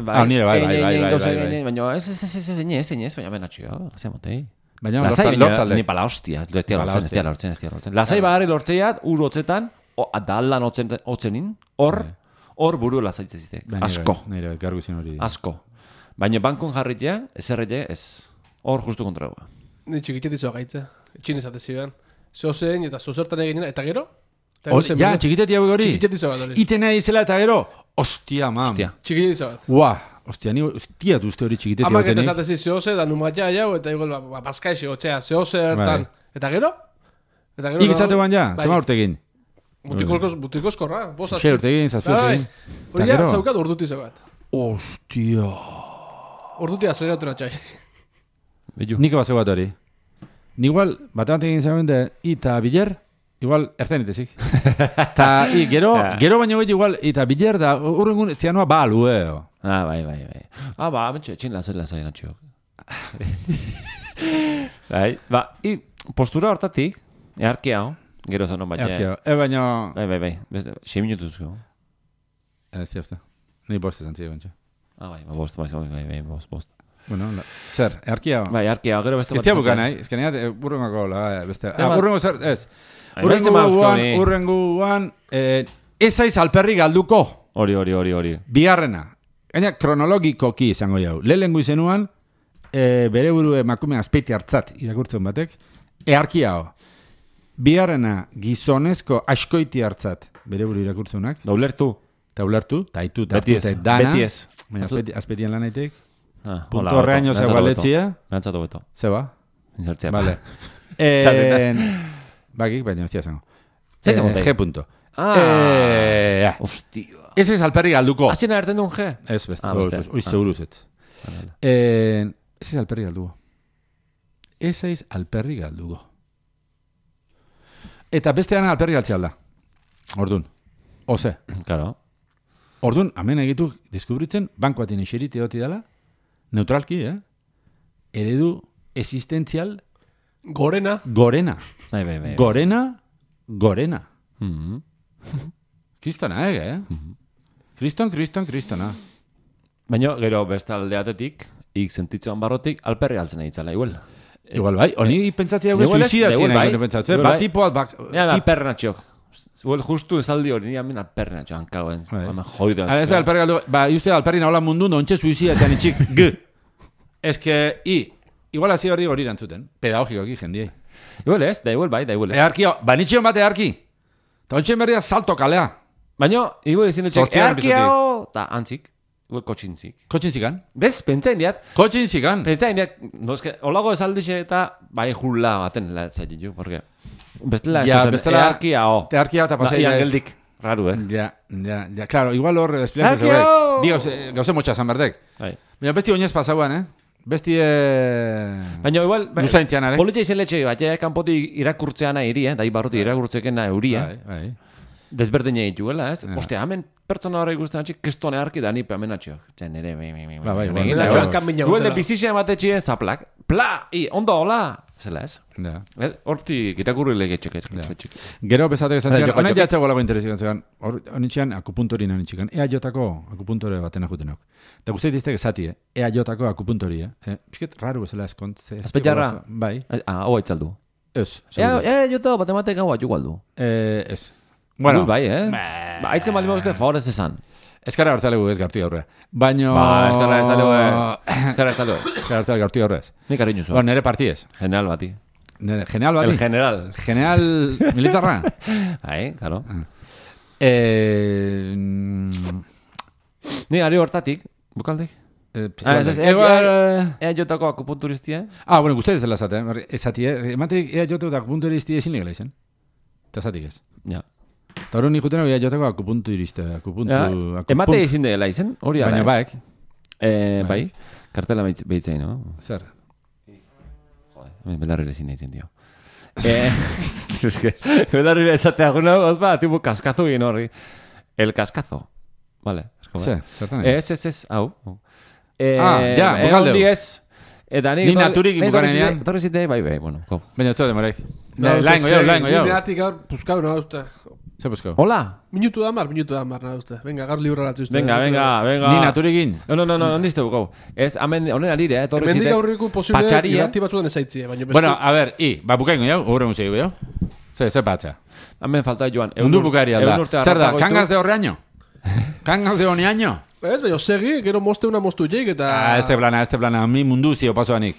Speaker 2: Ah, nire, bai, bai, bai, bai, bai, bai.
Speaker 1: baina ez, ez, ez, ez, ez, ez, ez, baina benatxio, lasai motei.
Speaker 2: baina
Speaker 1: Lasai,
Speaker 2: lortan,
Speaker 1: baina,
Speaker 2: lortalde.
Speaker 1: ni pala hostia, ez tia
Speaker 2: Pala
Speaker 1: lortzen, ez
Speaker 2: hostia.
Speaker 1: tia lortzen, ez tia lortzen. Lasai bagarri lortzeiat, ur hotzetan, o, da aldan hotzen, hotzenin, hor,
Speaker 2: Bai.
Speaker 1: hor buru lasaitzen zitek,
Speaker 2: Ba, nire,
Speaker 1: asko,
Speaker 2: Nire, gargu zen hori.
Speaker 1: asko. Baina bankon jarritea, ez errete, ez, hor justu kontragoa.
Speaker 3: Ni txikitetizo gaitze. Etxin izate zibean. Zeo zein eta zozertan egin eta gero? Eta
Speaker 2: Hor,
Speaker 3: gero
Speaker 2: ja,
Speaker 3: zen-
Speaker 2: txikitetia hori.
Speaker 3: Txikitetizo bat hori.
Speaker 2: Itena izela eta gero, ostia, mam.
Speaker 1: Hostia.
Speaker 3: Txikitetizo bat.
Speaker 2: Ua, ostia, ni, ostia duzte hori txikitetia
Speaker 3: Amak eta
Speaker 2: batenik.
Speaker 3: esatezi zehoze, da numatia jau, eta igual, ba, ba, bazkaixi, otxea, zehoze ertan.
Speaker 2: Bai.
Speaker 3: Eta gero? Eta gero...
Speaker 2: Ik izate ban ja,
Speaker 3: Bai.
Speaker 2: zema urtegin.
Speaker 3: Butikozko, butikozkorra, bosa.
Speaker 2: Xe urtegin, zazpi urtegin.
Speaker 3: Hori
Speaker 2: Eta
Speaker 3: ja,
Speaker 2: gero?
Speaker 3: zaukat urduti bat.
Speaker 2: Ostia.
Speaker 3: Urduti azeleratu natxai.
Speaker 1: Bellu.
Speaker 2: Nik bat zegoat hori. Ni igual, bat bat egin zaben de, ita biler, igual, erten itezik. Ta, i, gero,
Speaker 1: Ja.
Speaker 2: gero baino gehi igual, ita biler da, urrengun, zianoa ba alueo.
Speaker 1: Ah, bai, bai, bai. Ah, ba, betxe, etxin lasai lasai natxio. Bai, ba, i, postura hortatik, earkia hau, gero zanon baina.
Speaker 2: Erkio, e baino...
Speaker 1: Bai, bai, bai, beste, sei minutu zuzko.
Speaker 2: Ez zehazta. Ni bost esan zide bantxa.
Speaker 1: Ah, bai, ba, bost, bai, bai, bai, bai, bost, bost.
Speaker 2: Bueno, la, zer, erkia...
Speaker 1: Bai, earkia, gero beste
Speaker 2: Ez tia bukan, nahi? Ez kenia, urrengako, la, beste... Ah,
Speaker 1: Tema-
Speaker 2: urrengo zer, ez.
Speaker 1: Ai,
Speaker 2: Urrengo
Speaker 1: beste mazko
Speaker 2: guan,
Speaker 1: ni.
Speaker 2: urrengo guan, eh, ez aiz alperri galduko.
Speaker 1: Hori, hori, hori, hori.
Speaker 2: Bigarrena. Gaina, kronologikoki izango jau. Lehenengo izenuan, e, bere buru emakume azpeiti hartzat irakurtzen batek, earkia ho. Bigarrena, gizonezko askoiti hartzat bere buru irakurtzenak,
Speaker 1: Da ulertu.
Speaker 2: eta ulertu, eta itu, eta
Speaker 1: Beti ez,
Speaker 2: eta dana.
Speaker 1: beti ez.
Speaker 2: Baina azpeti, azpetian lanaitek.
Speaker 1: Ah,
Speaker 2: Punto
Speaker 1: hola,
Speaker 2: horreaino
Speaker 1: hobeto,
Speaker 2: zeu
Speaker 1: behantzat
Speaker 2: galetzia.
Speaker 1: hobeto. Behantzat hobeto.
Speaker 2: Zeba?
Speaker 1: Insertzea.
Speaker 2: Vale.
Speaker 1: Txatzeta.
Speaker 2: En... Bakik, baina ez zango.
Speaker 1: Zer
Speaker 2: Eh,
Speaker 1: zango, tai?
Speaker 2: G punto.
Speaker 1: Ah,
Speaker 2: Eh,
Speaker 1: hostia.
Speaker 2: Ez ez alperri galduko.
Speaker 1: Hasien agertzen duen G?
Speaker 2: Ez, beste.
Speaker 1: Ah,
Speaker 2: Oi,
Speaker 1: beste.
Speaker 2: oi, seguruz ez. Eh, ez ez alperri galduko. Ez ez alperri galduko. Eta bestean alperri galtzea alda. Ordun. Ose.
Speaker 1: Claro.
Speaker 2: Ordun, hemen egitu deskubritzen banko batin eserite hoti dela, neutralki, eh? Eredu existentzial
Speaker 3: Gorena.
Speaker 2: gorena.
Speaker 1: Bai, bai, bai.
Speaker 2: Gorena, gorena.
Speaker 1: Mhm.
Speaker 2: Kristona, ege, eh? Kriston, kriston, kristona.
Speaker 1: Baina, gero beste aldeatetik, ik sentitzuan barrotik, alperri altzen nahi itzala, igual.
Speaker 2: Igual bai, honi pentsatzea hau
Speaker 1: Igual ez,
Speaker 2: suizidatzen
Speaker 1: igual bai.
Speaker 2: nahi pentsatzen.
Speaker 1: Igual
Speaker 2: Bat
Speaker 1: bai.
Speaker 2: tipoa, bak...
Speaker 1: Ja, da,
Speaker 2: tip-
Speaker 1: alpernatxo. Igual justu esaldi hori, ni amen alpernatxo, hankagoen.
Speaker 2: Bai.
Speaker 1: Hemen joidean.
Speaker 2: Ah, ez da alperri galdu, ba, uste alperri nahola mundu, nontxe suizidatzen itxik, g. Ez que, i, igual hasi hori hori erantzuten. Pedagogikoki jendiei.
Speaker 1: Igual ez, da igual bai, da igual ez.
Speaker 2: Earki, banitxion bat earki. Ta ontsen berria salto kalea.
Speaker 1: Baina, igual ezin dutxek,
Speaker 2: Zortzigarren
Speaker 1: earkiao, eta antzik, igual kotxintzik.
Speaker 2: Kotxin zikan.
Speaker 1: Bez, pentsain diat,
Speaker 2: Kotxin zikan.
Speaker 1: pentsain diat, no, eske, olago esaldixe eta bai jula baten latzaitin ju, porque bestela
Speaker 2: Ja,
Speaker 1: ez
Speaker 2: bestela-
Speaker 1: earkiao.
Speaker 2: Earkia eta pasai.
Speaker 1: Ian geldik, raru, eh?
Speaker 2: Ja, ja, ja, claro, igual hor espliatzen
Speaker 1: Earkiao!
Speaker 2: zegoek. Bi gauze, gauze motxa zan berdek.
Speaker 1: Bai.
Speaker 2: Baina besti oinez pasauan, eh? Besti, eh...
Speaker 1: Baina igual, bai,
Speaker 2: Luzaintzian, are?
Speaker 1: politia izen letxe, bat, ja, kanpotik irakurtzeana iri, eh? Dai barruti irakurtzekena euria.
Speaker 2: Bai, bai.
Speaker 1: Desberdina dituela, ez?
Speaker 2: Ja.
Speaker 1: Ostia, hemen pertsona horrek guztan atxik, kestone harki da nipe hemen atxio. Txen, nere, be, be, be,
Speaker 2: Ba, bai, bai,
Speaker 1: egin
Speaker 2: bai,
Speaker 1: da,
Speaker 2: bai.
Speaker 1: igual-
Speaker 3: Kanbina
Speaker 1: Igual de
Speaker 3: gotela.
Speaker 1: bizizia ematetxien zaplak. Pla! I, ondo, hola! Zela, ez?
Speaker 2: Ja.
Speaker 1: Eh, Hortik irakurri lege txek,
Speaker 2: Ja.
Speaker 1: txek.
Speaker 2: Gero bezatek esan
Speaker 1: Bai,
Speaker 2: zian,
Speaker 1: jo-
Speaker 2: honen
Speaker 1: jo-
Speaker 2: jatzeko lago interesik zegoen. Honitxean akupuntori nahi txikan. Ea jotako akupuntore batena jutenak. Eta guzti diztek esati, eh? Ea jotako akupuntori, eh? eh? Pisket raru bezala eskontze.
Speaker 1: Azpeitxarra?
Speaker 2: Bai.
Speaker 1: Ah, hau aitzaldu.
Speaker 2: Ez.
Speaker 1: Ea,
Speaker 2: seguru.
Speaker 1: ea, jota, bat ematek hau atu galdu.
Speaker 2: Eh, ez.
Speaker 1: Bueno,
Speaker 2: Bueno,
Speaker 1: bai, eh? Ba, aitzen baldin bauzte, favorez esan.
Speaker 2: eskara hartzalegu ez gartu aurre. Baino...
Speaker 1: Ba, eskarra ez talego, eh? Eskarra ez talego.
Speaker 2: Eskara hartzale gartu aurrez.
Speaker 1: Nik ariñu
Speaker 2: Ba,
Speaker 1: zua.
Speaker 2: nere partiez.
Speaker 1: General bati.
Speaker 2: Nere, general bati.
Speaker 1: El general.
Speaker 2: General militarra.
Speaker 1: Bai, claro.
Speaker 2: eh... mm,
Speaker 1: Ni ari hortatik, bukaldek.
Speaker 2: eh,
Speaker 1: Ah, ez, ez, ea,
Speaker 2: igual-
Speaker 1: ea, ea jotako akupunturistia.
Speaker 2: Ah, bueno, guzti ez dela zaten. Esati, eh? Ematik ea jote eta akupunturista ezin legela izan. Eta zatik ez.
Speaker 1: Ja.
Speaker 2: Eta hori nik jutena ea joteko akupunturista. Akupuntu...
Speaker 1: Ja,
Speaker 2: akupunt-
Speaker 1: emate izin dela izen, hori da.
Speaker 2: Baina
Speaker 1: eh?
Speaker 2: baek.
Speaker 1: Eh,
Speaker 2: bai.
Speaker 1: bai, kartela behitz- behitzein, no?
Speaker 2: Zer.
Speaker 1: Joder, hemen belarrire ezin deitzen, dio. Eh, es que, belarrire ezatea guna, ozba, tipo kaskazo egin hori. El kaskazo. Vale. es como-
Speaker 2: Zer, zertan ez.
Speaker 1: Ez, ez, ez, hau. Eh,
Speaker 2: Ah, ja,
Speaker 1: eh,
Speaker 2: bukaldeu.
Speaker 1: ondi ez. Eta ni...
Speaker 2: Ni naturik bukanean.
Speaker 1: Torri zite, bai, bai, bueno, ko.
Speaker 2: Baina ez demorek.
Speaker 3: No,
Speaker 2: Laingo jau, laingo jau.
Speaker 3: Nineatik gaur, puskau nahi uste.
Speaker 2: Zer busko?
Speaker 1: Hola.
Speaker 3: Minutu da mar, minutu da mar nahi uste. Venga, gaur libra latu uste.
Speaker 1: Venga, venga, venga.
Speaker 2: Ni naturikin.
Speaker 1: No, no, no, no, ondizte bukau. Ez, hemen, honen alire, eh, torri
Speaker 3: Hemendik
Speaker 1: zite.
Speaker 3: aurreko posible
Speaker 1: Patxaria.
Speaker 3: irrati batzuetan ezaitzie, baina beste...
Speaker 2: Bueno, a ver, i, ba bukaingo jau, horre museo jau. Zer, zer patza.
Speaker 1: Hemen falta joan.
Speaker 2: Mundu bukaeri alda.
Speaker 1: urte
Speaker 2: Zer da,
Speaker 1: harrapako
Speaker 2: kangas
Speaker 1: ditu.
Speaker 2: de horreaño? Kangas de honeaño?
Speaker 3: Ez, baina segi, gero moste una mostu jeik eta...
Speaker 2: Ah, este plana, este plana, mi mundu zio pasoanik.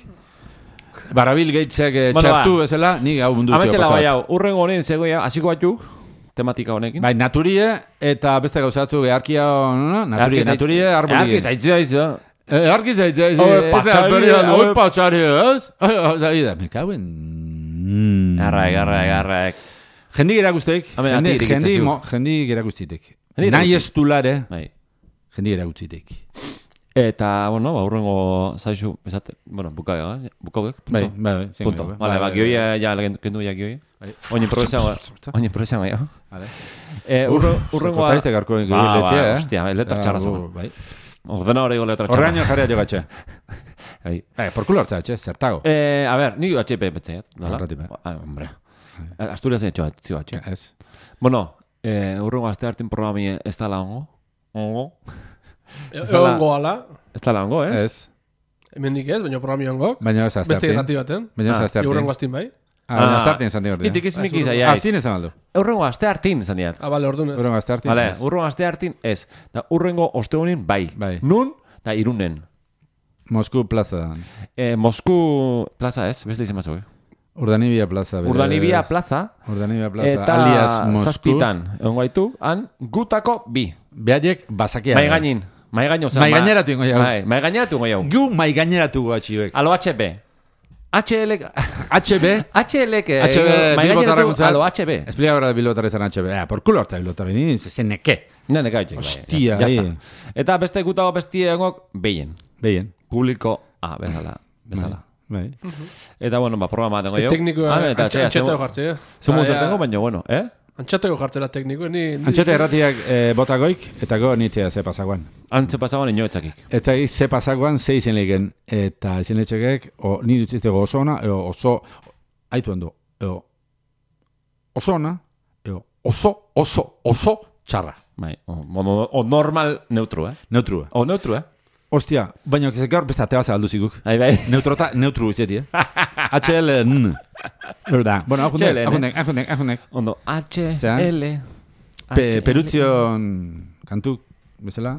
Speaker 2: Barabil geitzek eh,
Speaker 1: Bueno,
Speaker 2: txartu
Speaker 1: ba.
Speaker 2: bezala, ni hau mundu zio
Speaker 1: Ametxela bai
Speaker 2: pasoak.
Speaker 1: hau, urrengo honen zegoia, hasiko batzuk, tematika honekin.
Speaker 2: Bai, naturie eta beste gauzatzu beharkia, no, no? Naturie, naturie, arboli.
Speaker 1: Arki zaitzua izo.
Speaker 2: Eh, arki zaitza, ez,
Speaker 1: Hau,
Speaker 2: ez,
Speaker 1: patxari,
Speaker 2: ez,
Speaker 1: hau.
Speaker 2: hau patxari, ez? Zabi da, me cago en...
Speaker 1: Garraek, garraek, garraek.
Speaker 2: Jendik erakustek,
Speaker 1: Hemen
Speaker 2: jendi,
Speaker 1: atirik
Speaker 2: jendi,
Speaker 1: itzazu.
Speaker 2: mo- jendik erakustitek.
Speaker 1: Jendik
Speaker 2: Nahi
Speaker 1: erakusti.
Speaker 2: ez tulare,
Speaker 1: Bai.
Speaker 2: jendik erakustitek.
Speaker 1: Eta, bueno, ba, urrengo zaizu, esate, bueno, bukaga, bukaudek, punto.
Speaker 2: Bai, bai, bai. zen
Speaker 1: Punto.
Speaker 2: gero,
Speaker 1: Vale, ba, gioia, ja, kendu ja gioi.
Speaker 2: Bai.
Speaker 1: Oin improvisago, oin improvisago, ja.
Speaker 2: Vale.
Speaker 1: Eh, urre- urrengo...
Speaker 2: Kostaizte garko
Speaker 1: Ba, ba,
Speaker 2: letzea, eh?
Speaker 1: hostia, letra txarra zama.
Speaker 2: Bai.
Speaker 1: Ordena hori letra txarra.
Speaker 2: Horreaino jarria jogatxe.
Speaker 1: Bai.
Speaker 2: Bai, por culo hartza, txe, zertago.
Speaker 1: Eh, a ver, ni H P betzaiat, dala?
Speaker 2: Arratipe.
Speaker 1: Ah, hombre. Asturias hecho, zio H.
Speaker 2: Ez.
Speaker 1: Bueno, eh, urrengo aste hartin programi ez da ongo. Ongo.
Speaker 3: Egon goala,
Speaker 1: Ez da ongo, ez?
Speaker 2: Ez.
Speaker 3: hemendik ez, baina programi ongok.
Speaker 2: Baina ez azte
Speaker 3: Beste irrati baten.
Speaker 2: Baina ez
Speaker 1: Ah,
Speaker 2: azte
Speaker 3: Eurrengo
Speaker 2: hartin.
Speaker 3: astin bai.
Speaker 2: Ah, baina azte hartin esan digorti.
Speaker 1: Itik izmiki
Speaker 3: Ah,
Speaker 1: zaia
Speaker 2: Hartin
Speaker 1: ez.
Speaker 2: esan aldu.
Speaker 1: Urrengo aste hartin, zan diat.
Speaker 3: Ah, bale, orduan ez.
Speaker 2: Urrengo azte hartin.
Speaker 1: Vale,
Speaker 2: ez.
Speaker 1: urrengo aste hartin ez. Da, urrengo ostegunin bai.
Speaker 2: Bai.
Speaker 1: Nun, da irunen.
Speaker 2: Mosku plaza.
Speaker 1: Eh, Mosku plaza ez, beste izan mazau.
Speaker 2: Urdanibia plaza. berez.
Speaker 1: Urdanibia plaza.
Speaker 2: Urdanibia plaza.
Speaker 1: Eta
Speaker 2: alias Mosku.
Speaker 1: zazpitan. Egon gaitu, han, gutako bi.
Speaker 2: Behaiek basakia.
Speaker 1: Mai gainin. Mai gaino zen.
Speaker 2: Mai gaineratu ingo jau.
Speaker 1: Bai, mai gaineratu ingo jau.
Speaker 2: Gu mai gaineratu guatxiuek.
Speaker 1: Alo H P. H L...
Speaker 2: H B.
Speaker 1: H L...
Speaker 2: H B bilbotarrakuntzat.
Speaker 1: Alo, H B.
Speaker 2: Explica ahora bilbotarra izan H B. Ah, por culo hartza bilbotarra. Ni zen neke.
Speaker 1: Ne, neka haitek.
Speaker 2: Hostia,
Speaker 1: ya
Speaker 2: ahí.
Speaker 1: está. Eta beste gutago bestie egok, behien.
Speaker 2: Behien.
Speaker 1: Publiko, ah, bezala. Bezala.
Speaker 2: Bai.
Speaker 1: Eta, bueno, ba, programa tengo jo.
Speaker 3: Teknikoa,
Speaker 1: Ah, eta, txea,
Speaker 3: antxeteko jartzea.
Speaker 1: Zemo zer tengo, baina, bueno, eh?
Speaker 3: Antxeteko jartzera tekniko, ni...
Speaker 2: Antxete erratiak eh, botagoik, eta go nitzea ze pasagoan.
Speaker 1: Antze pasagoan ino etxakik.
Speaker 2: Eta gi, ze pasagoan, ze izen legen. Eta izen letxekek, o, ni dutziztego oso ona, eo oso, haitu hando, eo oso ona, eo oso, oso, oso txarra.
Speaker 1: Bai, o, o, o normal neutru, eh?
Speaker 2: Neutru.
Speaker 1: O neutru, eh?
Speaker 2: Ostia, baina gaur beste ateba zabaldu ziguk.
Speaker 1: Bai, bai.
Speaker 2: Neutrota, neutru izeti, eh? H L N. Verdad. Bueno,
Speaker 1: H L N.
Speaker 2: ajundek, ajundek, ajundek, ajundek.
Speaker 1: Ondo, H
Speaker 2: Zea?
Speaker 1: L...
Speaker 2: Pe, perutzion kantu, bezala.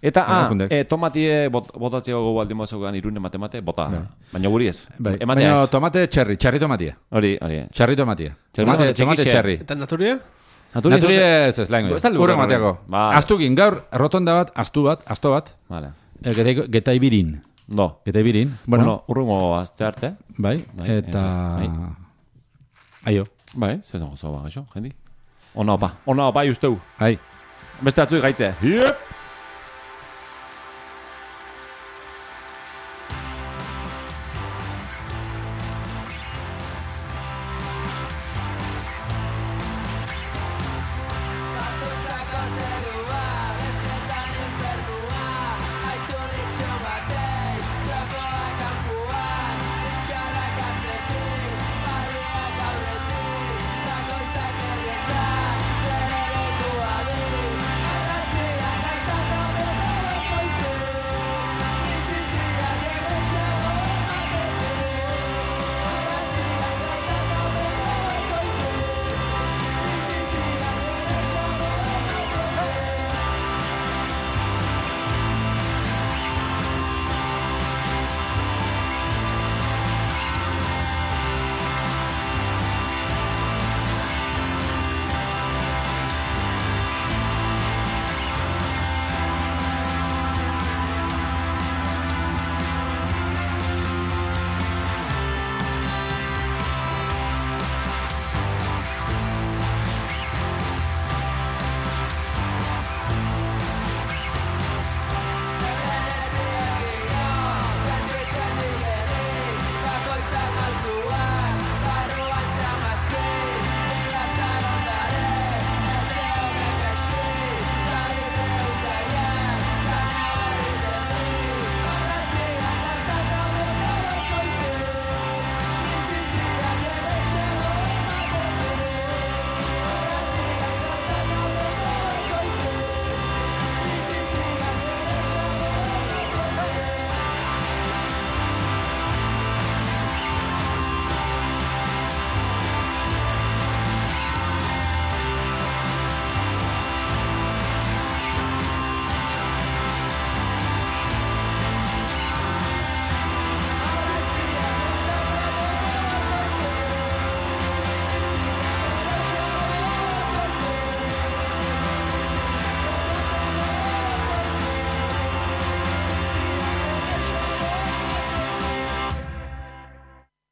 Speaker 1: Eta, ah,
Speaker 2: Ajundek.
Speaker 1: e, tomatie bot, botatzeo gogu aldin mozugan irune mate-mate, bota.
Speaker 2: Bai.
Speaker 1: Baina guri ez.
Speaker 2: Bai.
Speaker 1: Ematea
Speaker 2: Baina
Speaker 1: ez.
Speaker 2: tomate txerri, txerri tomatia.
Speaker 1: Hori, hori.
Speaker 2: Txerri tomatia.
Speaker 1: Txerri
Speaker 2: Tomate,
Speaker 1: tomate
Speaker 2: tomate
Speaker 1: txikixe.
Speaker 2: txerri.
Speaker 3: Eta naturia?
Speaker 2: Naturi ez ez, laingo.
Speaker 1: Ez da lurra,
Speaker 2: Urrek mateako.
Speaker 1: Vale.
Speaker 2: Aztukin, gaur, rotonda bat, astu bat, asto bat,
Speaker 1: Vale.
Speaker 2: eh, geta- getaibirin.
Speaker 1: No.
Speaker 2: Getaibirin.
Speaker 1: Bueno,
Speaker 2: Bueno,
Speaker 1: urrungo azte arte.
Speaker 2: bai,
Speaker 1: bai,
Speaker 2: eta...
Speaker 1: bai.
Speaker 2: Aio,
Speaker 1: Bai, zezen gozo ba, gaixo, jendi. Ona opa, ona opa, usteu.
Speaker 2: ai.
Speaker 1: Beste atzui gaitze. Yep.